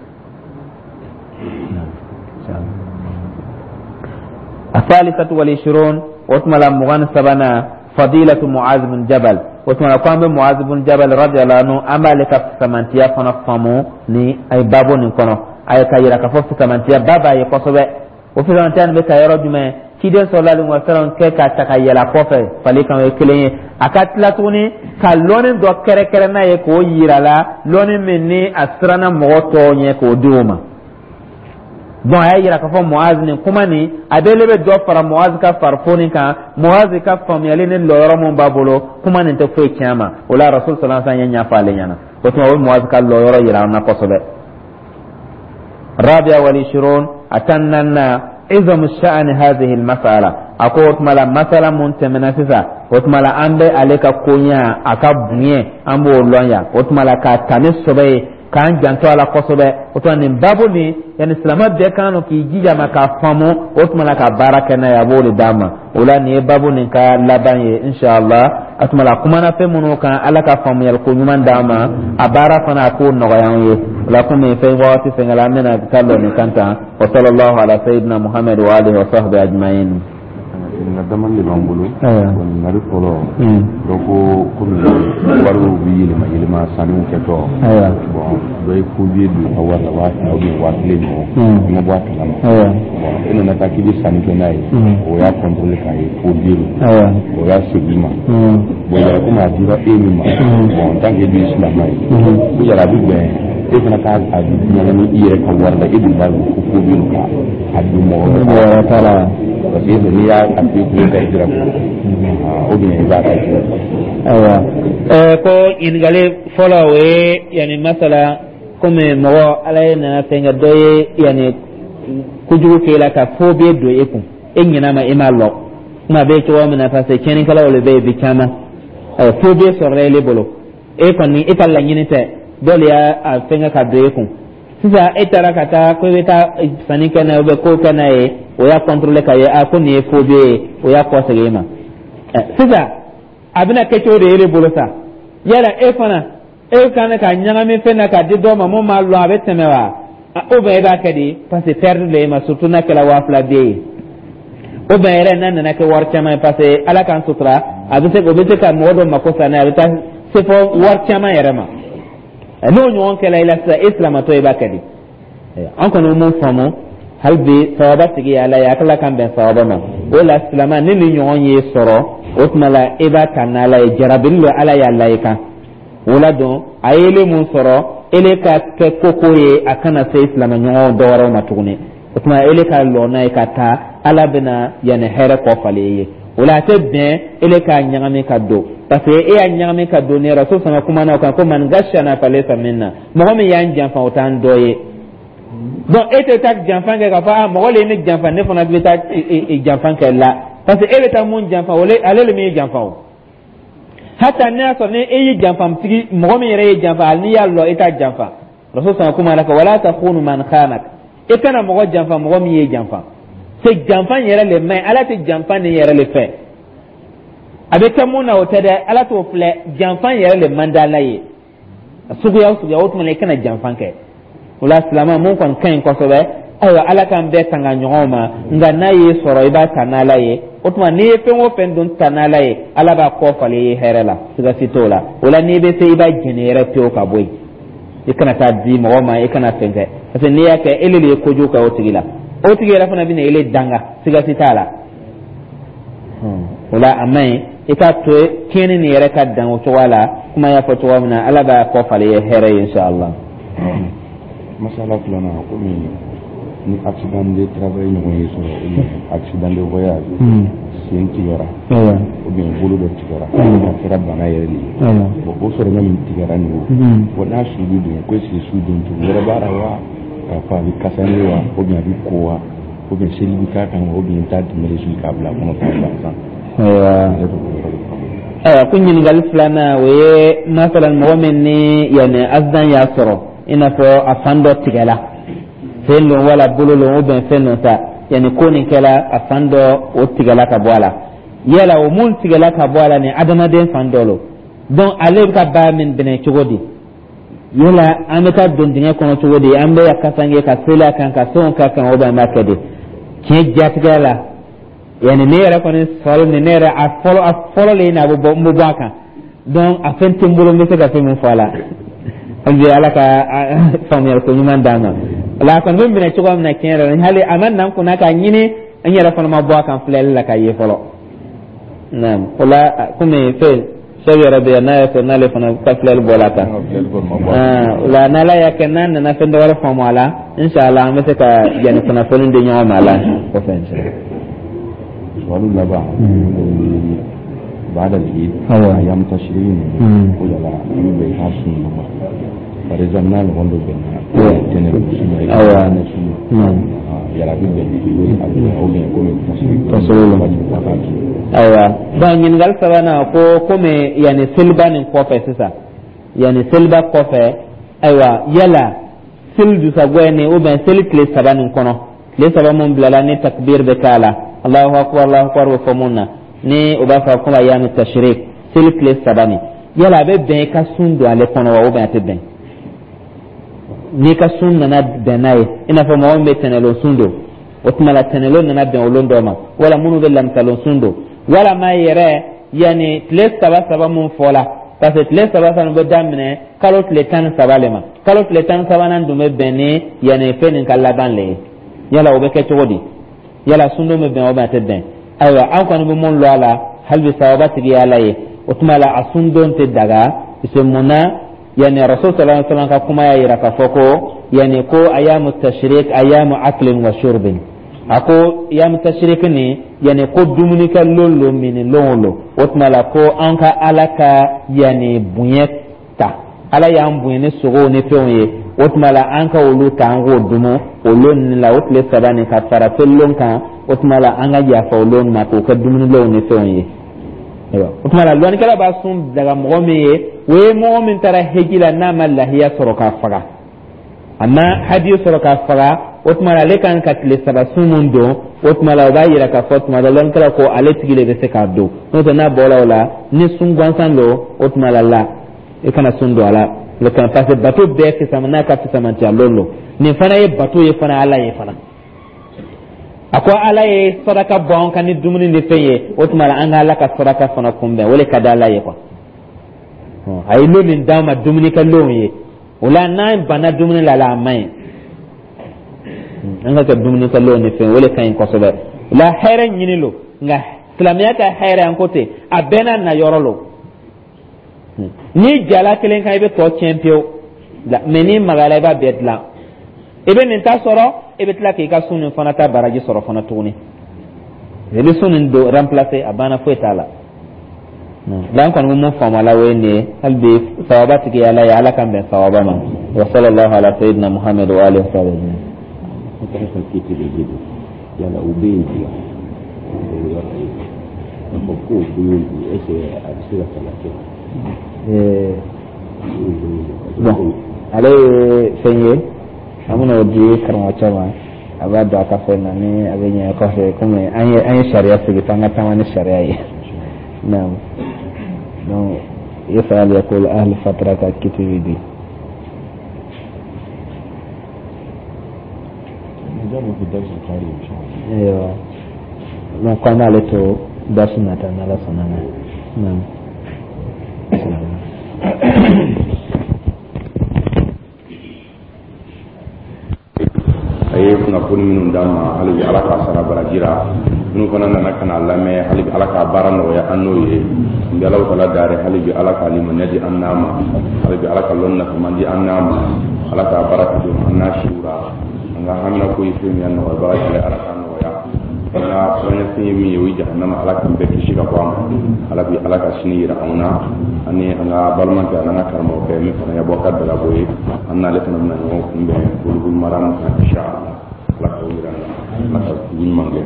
الثالثة والعشرون، o tuma la 23nan، فضيلة معاذ بن جبل. O tuma la, ko an bɛ Muaz bin Jabal radiyallahu anhu, an b'ale ka fisamantiya fana faamu ni ay babo nin kɔnɔ. A ye ka yira k'a fɔ fisamantiya ba b'a ye kosɛbɛ. O fisamantiya nin bɛ ta yɔrɔ jumɛn? Ciden sallallahu alaihi wa sallam kɛ k'a ta ka yɛlɛ a kɔfɛ fali kan, o ye kelen ye. A ka tila tuguni ka lɔnni dɔ kɛrɛkɛrɛ n'a ye k'o yira la, lɔnni min ni a siranna mɔgɔ tɔw ɲɛ k'o di o ma. Donc a y'a yira k'a fɔ Muaz nin kuma nin, a bɛ le bɛ dɔ fara Muaz ka farifoni kan, Muaz ka faamuyali ni lɔyɔrɔ mun b'a bolo. Kuma nin tɛ foyi tiɲɛ a ma. O la, Rasul sallallahu alaihi wa sallam ye ɲɛfɔ ale ɲɛna. O tuma, o bɛ Muaz ka lɔyɔrɔ yira an na kosɛbɛ. Rabia wal ishirun, a 14nan, izamu sha'ani hadhihi almas'ala. A ko o tuma la, masala mun tɛmɛna sisan, o tuma la an bɛ ale ka koɲa, a ka bonya, an b'o lɔn yan. O tuma la k'a ta ni sɔbɛ ye, k'an janto a la kosɛbɛ. O tuma nin babu nin, yanni silamɛ bɛɛ kan k'i jija ma k'a faamu, o tuma la ka baara kɛ n'a ye, a b'o de d'a ma. O la nin ye babu nin ka laban ye, inshallah. A tuma la kumana fɛn minnu kan, Ala ka faamuyali ko ɲuman d'an ma, a baara fana a k'o nɔgɔya an ye. O la komi fɛn wagati fɛnkɛla, an bɛna taa lɔ nin kan tan. Wa sallallahu ala sayyidina Muhammad wa alihi wa sahbihi ajma'in. Ɲininkali dama de b'an bolo. Ɲininkali fɔlɔ, dɔ ko komi wariw bɛ yɛlɛma yɛlɛma sanniw kɛtɔ, bon, dɔ ye faux billet don i ka wari la, 2000 ou bien 1000 ɲɔgɔn, i ma bɔ a kalama. Bon, e nana taa k'i bɛ sanni kɛ n'a ye, o y'a contrôler k'a ye faux billet don, o y'a segin i ma. Bon, yala komi a dira e min ma, bon, en tant que e dun ye silamɛ ye, ko yala a bɛ bɛn e fana k'a ɲagami i yɛrɛ ka wari la, e dun b'a dɔn ko faux billet don, ka a don mɔgɔ wɛrɛ ta la? Parce que n'i y'a a f'i kun ka i jira ko ou bien i b'a kɛ. Ayiwa, ko ɲininkali fɔlɔ, o ye yanni masala komi mɔgɔ Ala ye nana fɛn kɛ dɔ ye, yanni kojugu k'e la ka faux billet don e kun, e ɲin'a ma, e m'a lɔ kuma bɛ cogo min na, parce que tiɲɛnikɛlaw de bɛ yen bi caman. Ayiwa, faux billet sɔrɔla ele bolo, e kɔni e ka laɲini tɛ, dɔ de y'a a fɛnkɛ ka don e kun. Sisan e taara ka taa ko i bɛ taa sanni kɛ n'a ye ou bien ko kɛ n'a ye, o y'a contrôler ka ye a ko nin ye faux billet ye, o y'a kɔsegin e ma. Sisan a bɛna kɛ cogo di e de bolo sa? Yala e fana e kan ka ɲagami fɛn na k'a di dɔ ma mun m'a lɔn, a bɛ tɛmɛ wa, ou bien e b'a kɛ di? Parce que perte de e ma, surtout n'a kɛra 2000 billet ye, ou bien yɛrɛ n'a nana kɛ wari caman ye, parce que Ala k'an sutura, a bɛ se o bɛ se ka mɔgɔ dɔ mako sa n'a ye, a bɛ taa se fɔ wari caman yɛrɛ ma. N'o ɲɔgɔn kɛla i la sisan, e silamatɔ, i b'a kɛ di? An kɔni mun faamu hali bi, sababa tigi ye Ala ye, a kila k'an bɛn sababa ma. O la silama ni nin ɲɔgɔn ye sɔrɔ, o tuma la e b'a ta n'Ala ye, jarabili don Ala y'a la i kan. O la dɔn a ye ele mun sɔrɔ, ele ka kɛ koko ye, a kana se silamɛ ɲɔgɔn dɔ wɛrɛw ma tuguni. O tuma ele ka lɔ n'a ye ka taa, Ala bɛna yanni hɛrɛ kɔ falen i ye. O la a tɛ bɛn ele k'a ɲagami ka don, parce que e y'a ɲagami ka don ni Rasul sama kuma na o kan ko man gashana falaysa minna, mɔgɔ min y'an janfa, o t'an dɔ ye. Donc e tɛ taa janfa kɛ k'a fɔ a mɔgɔ le ye ne janfa, ne fana bɛ taa janfa kɛ la, parce que e bɛ taa mun janfa, o ale le min ye janfa. O hata ne y'a sɔrɔ ni e ye janfatigi, mɔgɔ min yɛrɛ ye janfa, hali n'i y'a lɔ, e t'a janfa. Rasul sama kuma la ko wala takhunu man khanak, e kana mɔgɔ janfa mɔgɔ min ye janfa. C'est janfa yɛrɛ le man ɲi, Ala tɛ janfa nin yɛrɛ le fɛ. A bɛ kɛ mun na, o tɛ dɛ, Ala t'o filɛ, janfa yɛrɛ le man di Ala ye suguya o suguya. O tuma na i kana janfa kɛ. O la silamɛ mun kɔni ka ɲi kosɛbɛ, ayiwa, Ala k'an bɛɛ tanga ɲɔgɔn ma, nka n'a y'i sɔrɔ, i b'a ta n'Ala ye. O tuma n'i ye fɛn o fɛn dun ta n'Ala ye, Ala b'a kɔ falen i ye hɛrɛ la, siga si t'o la. O la n'i bɛ se, i b'a jɛni yɛrɛ pewu ka bɔ yen, i kana taa di mɔgɔ ma, i kana fɛn kɛ, parce que n'i y'a kɛ, ele de ye kojugu kɛ o tigi la, o tigi yɛrɛ fana bɛna ele danga, siga si t'a la. O la a man ɲi, i k'a to tiɲɛni nin yɛrɛ ka dan o cogoya la. Kuma y'a fɔ cogoya min na, Ala b'a kɔ falen i ye hɛrɛ ye, inshallah. Masala filanan, komi ni accident de travail ɲɔgɔn ye sɔrɔ ou bien accident de voyage, sen tigɛra ou bien bolo dɔ tigɛra, a kɛra bana yɛrɛ de ye. Bon, o sɔrɔ min tigɛra nin o, bon, n'a su bɛ don, ko est ce que su don cogo wɛrɛ b'a la wa, k'a fɔ a bɛ kasange wa, ou bien a bɛ ko wa, ou bien seli bɛ k'a kan wa, ou bien i t'a dɛmɛ su k'a bila a kɔnɔ k'a gansan? Ayiwa, ko ɲininkali filanan, o ye masalan mɔgɔ min ni yanni accident y'a sɔrɔ, i n'a fɔ a fan dɔ tigɛla, sen don wala bolo don ou bien fɛn dɔ sa, yanni ko nin kɛla a fan dɔ o tigɛla ka bɔ a la. Yala o mun tigɛla ka bɔ a la nin, adamaden fan dɔ lo, donc ale bɛ ka baara min minɛ cogo di? Yala an bɛ taa don dingɛ kɔnɔ cogo di? An bɛ kasange ka seli a kan, ka fɛnw k'a kan, ou bien an b'a kɛ di? Tiɲɛ jatigɛ la, yanni ne yɛrɛ kɔni sɔrɔ nin, ne yɛrɛ a fɔlɔ le na a bɛ bɔ, n bɛ bɔ a kan. Donc a fɛn tɛ n bolo n bɛ se ka fɛn min fɔ a la. Hali bi Ala ka faamuyali ko ɲuman d'an ma. O la a kɔni bɛ minɛ cogoya min na, tiɲɛ yɛrɛ la, hali a ma na n kunna k'a ɲini, n yɛrɛ fana ma bɔ a kan filɛli la k'a ye fɔlɔ. Naam, o la komi fɛn sɛbi yɛrɛ bɛ yan, n'a y'a sɔrɔ n'ale fana ka filɛli bɔra a kan, o la n'Ala y'a kɛ n'a nana fɛn dɔ wɛrɛ faamu a la, inshallah an bɛ se ka yanni kunnafoni di ɲɔgɔn ma a la kɔfɛ, inshallah. Suwalu laban, baada al-Eid, ayam tashriq, ko yala an bɛ bɛn i k'a sun ma, par exemple n'a ɲɔgɔn dɔ bɛnna tɛnɛ sun, i ka sun? Yala a bɛ bɛn a bɛ ou bien komi wajibi ko a k'a dun? Ayiwa, bon, ɲininkali sabanan ko komi yanni seliba nin kɔfɛ sisan, yanni seliba kɔfɛ, ayiwa, yala seli dusagwɛ nin ou bien seli tile 3 nin kɔnɔ, tile 3 mun bilala ni takbir bɛ k'a la, Allahu akbar, Allahu akbar bɛ fɔ mun na, ni o b'a fɔ komi ayamu tashrik, seli tile 3 nin, yala a bɛ bɛn i ka sun don ale kɔnɔ wa, ou bien a tɛ bɛn n'i ka sun nana bɛn n'a ye? I n'a fɔ mɔgɔ min bɛ tɛnɛlon sun don, o tuma la tɛnɛlon nana bɛn o lon dɔ ma, wala minnu bɛ lamisalon sun don, walama yɛrɛ yanni tile saba saba mun fɔla, parce que tile saba saba bɛ daminɛ kalo tile 13 le ma, kalo tile 13nan dun bɛ bɛn ni yanni fɛn nin ka laban le ye. Yala o bɛ kɛ cogo di? Yala sundon bɛ bɛn o bɛn a tɛ bɛn? Ayiwa, an kɔni bɛ mun lɔ a la hali bi, sababa tigi ye Ala ye. O tuma la a sundon tɛ daga, parce que mun na? Yani Rasul sallallahu alaihi wasallam ka kuma y'a yira k'a fɔ ko yani ko ayamu tashrik ayamu aklin wa shurbin. A ko ayamu tashrik ni yani ko dumunikɛ lon lo, mini lon lo. O tuma la ko an ka Ala ka yani bonya ta, Ala y'an bonya ni sogow ni fɛnw ye, o tuma la an ka olu ta, an k'o dumu o lon nin la, o tile 3 nin ka fara selilon kan. O tuma la an ka yafa o lon ma k'o kɛ dumunilonw ni fɛnw ye. Ayiwa, o tuma la lɔnnikɛla b'a sun daga mɔgɔ min ye, o ye mɔgɔ min taara heji la n'a ma lahiya sɔrɔ k'a faga, a ma hadiyu sɔrɔ k'a faga. O tuma la ale kan ka tile 3 sun mun don, o tuma la o b'a yira k'a fɔ tuma dɔ lɔnnikɛla ko ale tigi de bɛ se k'a don. N'o tɛ, n'a bɔra o la ni sun gansan don, o tuma la la i kana sun don a la le kan, parce que bato bɛɛ fisama n'a ka fisamantiya lon don. Nin fana ye bato ye fana, Ala ye fana. A ko Ala ye saraka bɔ an kan ni dumuni ni fɛn ye, o tuma la an ka Ala ka saraka fana kunbɛn, o de ka di Ala ye quoi. A ye lon min d'an ma dumunikɛ lonw ye, o la n'an banna dumuni la, a man ɲi. An ka kɛ dumunikɛ lonw ni fɛn, o de ka ɲi kosɛbɛ. O la hɛrɛ ɲini lo, nka silamɛya ka hɛrɛ, an ko ten, a bɛɛ n'a na yɔrɔ lo. N'i jala kelen kan, i bɛ tɔ tiɲɛ pewu, mɛ n'i magara, i b'a bɛɛ dilan. I bɛ nin ta sɔrɔ, i bɛ tila k'i ka sun nin fana ta baraji sɔrɔ fana tuguni. I bɛ sun nin don remplacer, a banna, foyi t'a la. L'an kɔni bɛ mun faamu a la, o ye nin ye. Hali bi sawaba tigi ye Ala ye, Ala k'an bɛn sawaba ma. Wa sallallahu ala sayyidina Muhammad wa alihi wa sahbihi. Yala u bɛ yen bi yɔrɔ ye k'a fɔ k'o bɛ yen bi, est ce que a bɛ se ka kalan kɛ? Bon, ale ye fɛn ye, an bɛna o di karamɔgɔcɛ ma, a b'a don a ka fɛn na ni a bɛ ɲɛ kɔfɛ. Komi an ye sariya sigi f'an ka taama ni sariya ye. Naam, donc yasal yaqul ahli fatra ka kiti bi di. Ayiwa, donc k'an b'ale to darsu nata n'Ala sɔnna ma. Naam. A ye kunnafoni minnu d'an ma, hali bi Ala k'a sara baraji la. Minnu fana nana ka n'a lamɛn, hali bi Ala k'a baara nɔgɔya an n'o ye. N bɛ Alahu taala dari, hali bi Ala ka limaniya di an n'a ma, hali bi Ala ka lɔnni nafaman di an n'a ma, Ala k'a baraka don an n'a siw la. An ka hamina ko ye fɛn min ye, a nɔgɔyabaga ye Ala k'a nɔgɔya. An ka siranɲɛfɛn ye min ye, o ye jahanama, Ala k'an bɛɛ kisi ka bɔ a ma. Ala bi Ala ka sini yira anw na, ani an ka balimakɛ ani an ka karamɔgɔkɛ min fana ye Abubakar Darabo ye, an n'ale fana bɛna ɲɔgɔn kunbɛn Bulugul Maram kan inshallah. Ala k'o yira an na, Ala ka dugu ɲuman kɛ.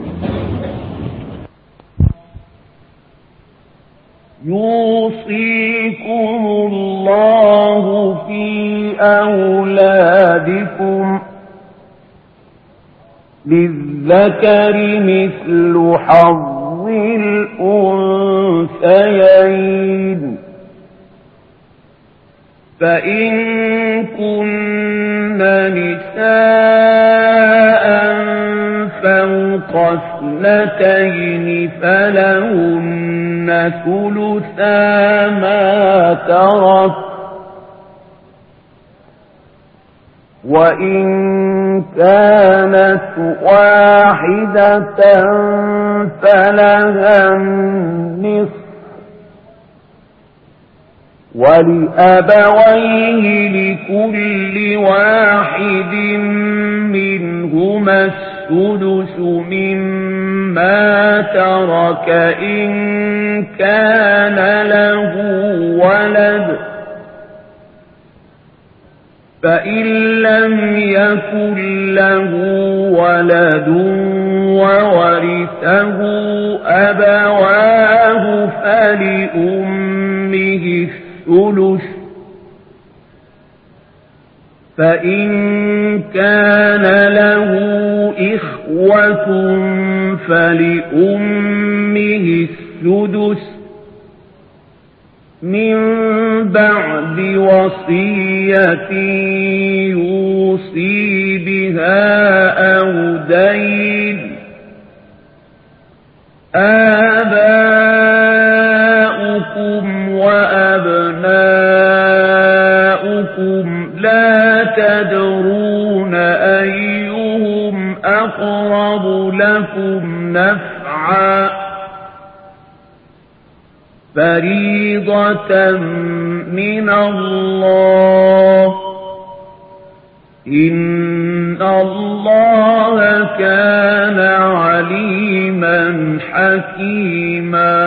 يوصيكم الله في أولادكم للذكر مثل حظ الأنثيين فإن كن نساء فوق 2 فلهن ثلثا ما ترك وإن كانت واحدة فلها النصف ولأبويه لكل واحد منهما السدس مما ترك إن كان له ولد فإن لم يكن له ولد وورثه أبواه فلأمه الثلث، فإن كان له إخوة فلأمه السدس، من بعد وصية يوصي بها أو دين، آباؤكم وأبناؤكم لا تدرون أيهم أقرب لكم نفعا، فريضة من الله، إن الله كان عليما حكيما.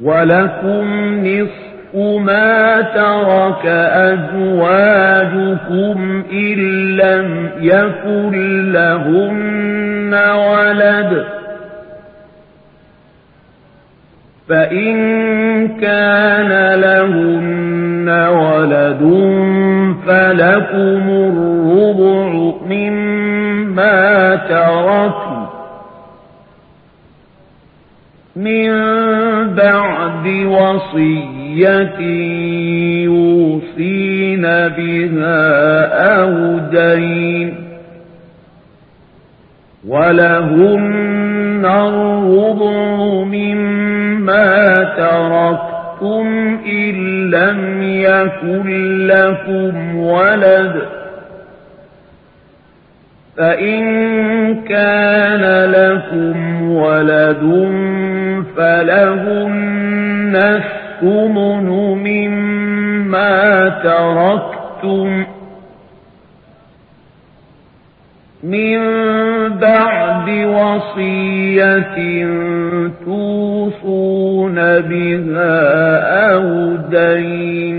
ولكم نصف ما ترك أزواجكم إن لم يكن لهن ولد، فإن كان لهن ولد فلكم الربع مما تركن من بعد وصية يوصين بها أو دين، ولهن الربع مما تركتم إن لم يكن لكم ولد، فإن كان لكم ولد فلهن الثمن مما تركتم من بعد وصية توصون بها أو دين،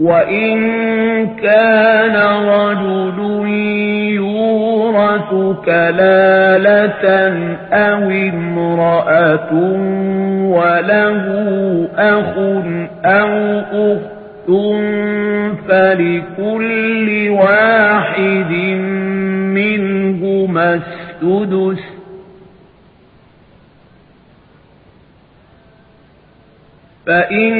وإن كان رجل يورث كلالة أو امرأة وله أخ أو أخت فلكل واحد منهما السدس، فإن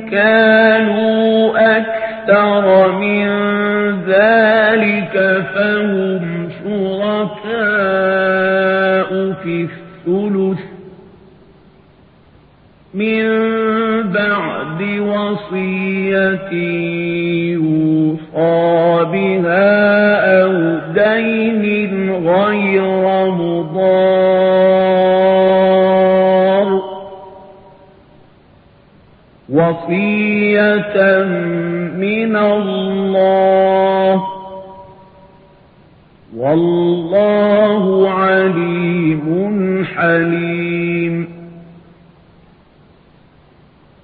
كانوا أكثر من ذلك فهم شركاء في الثلث من بعد وصية يوصى بها أو دين غير مضار، وصية من الله، والله عليم حليم.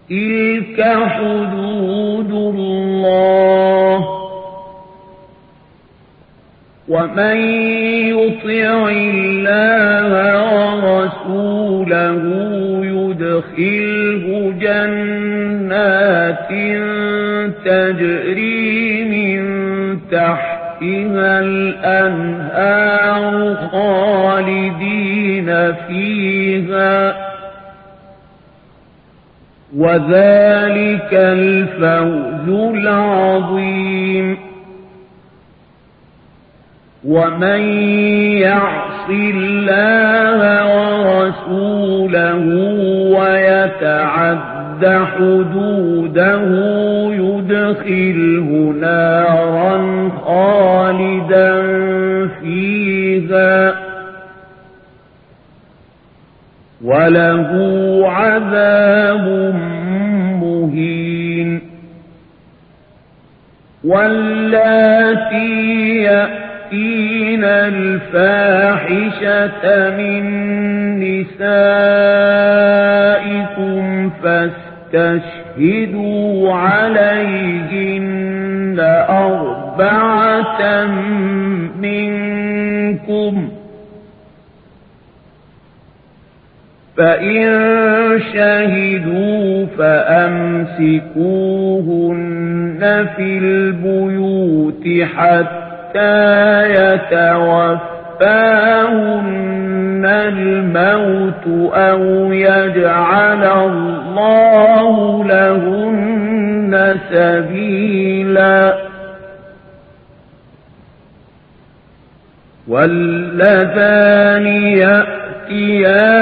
تلك حدود الله، ومن يطع الله ورسوله يدخله جنات تجري من تحتها الأنهار خالدين فيها، وذلك الفوز العظيم. ومن يعص الله ورسوله ويتعد حدوده يدخله نارا خالدا فيها، وله عذاب مهين. واللاتي يأتين الفاحشة من نسائكم فاستغفروا واستشهدوا عليهن 4 منكم، فإن شهدوا فأمسكوهن في البيوت حتى يتوفاهن الموت أو يجعل الله لهن سبيلا. واللذان يأتيانها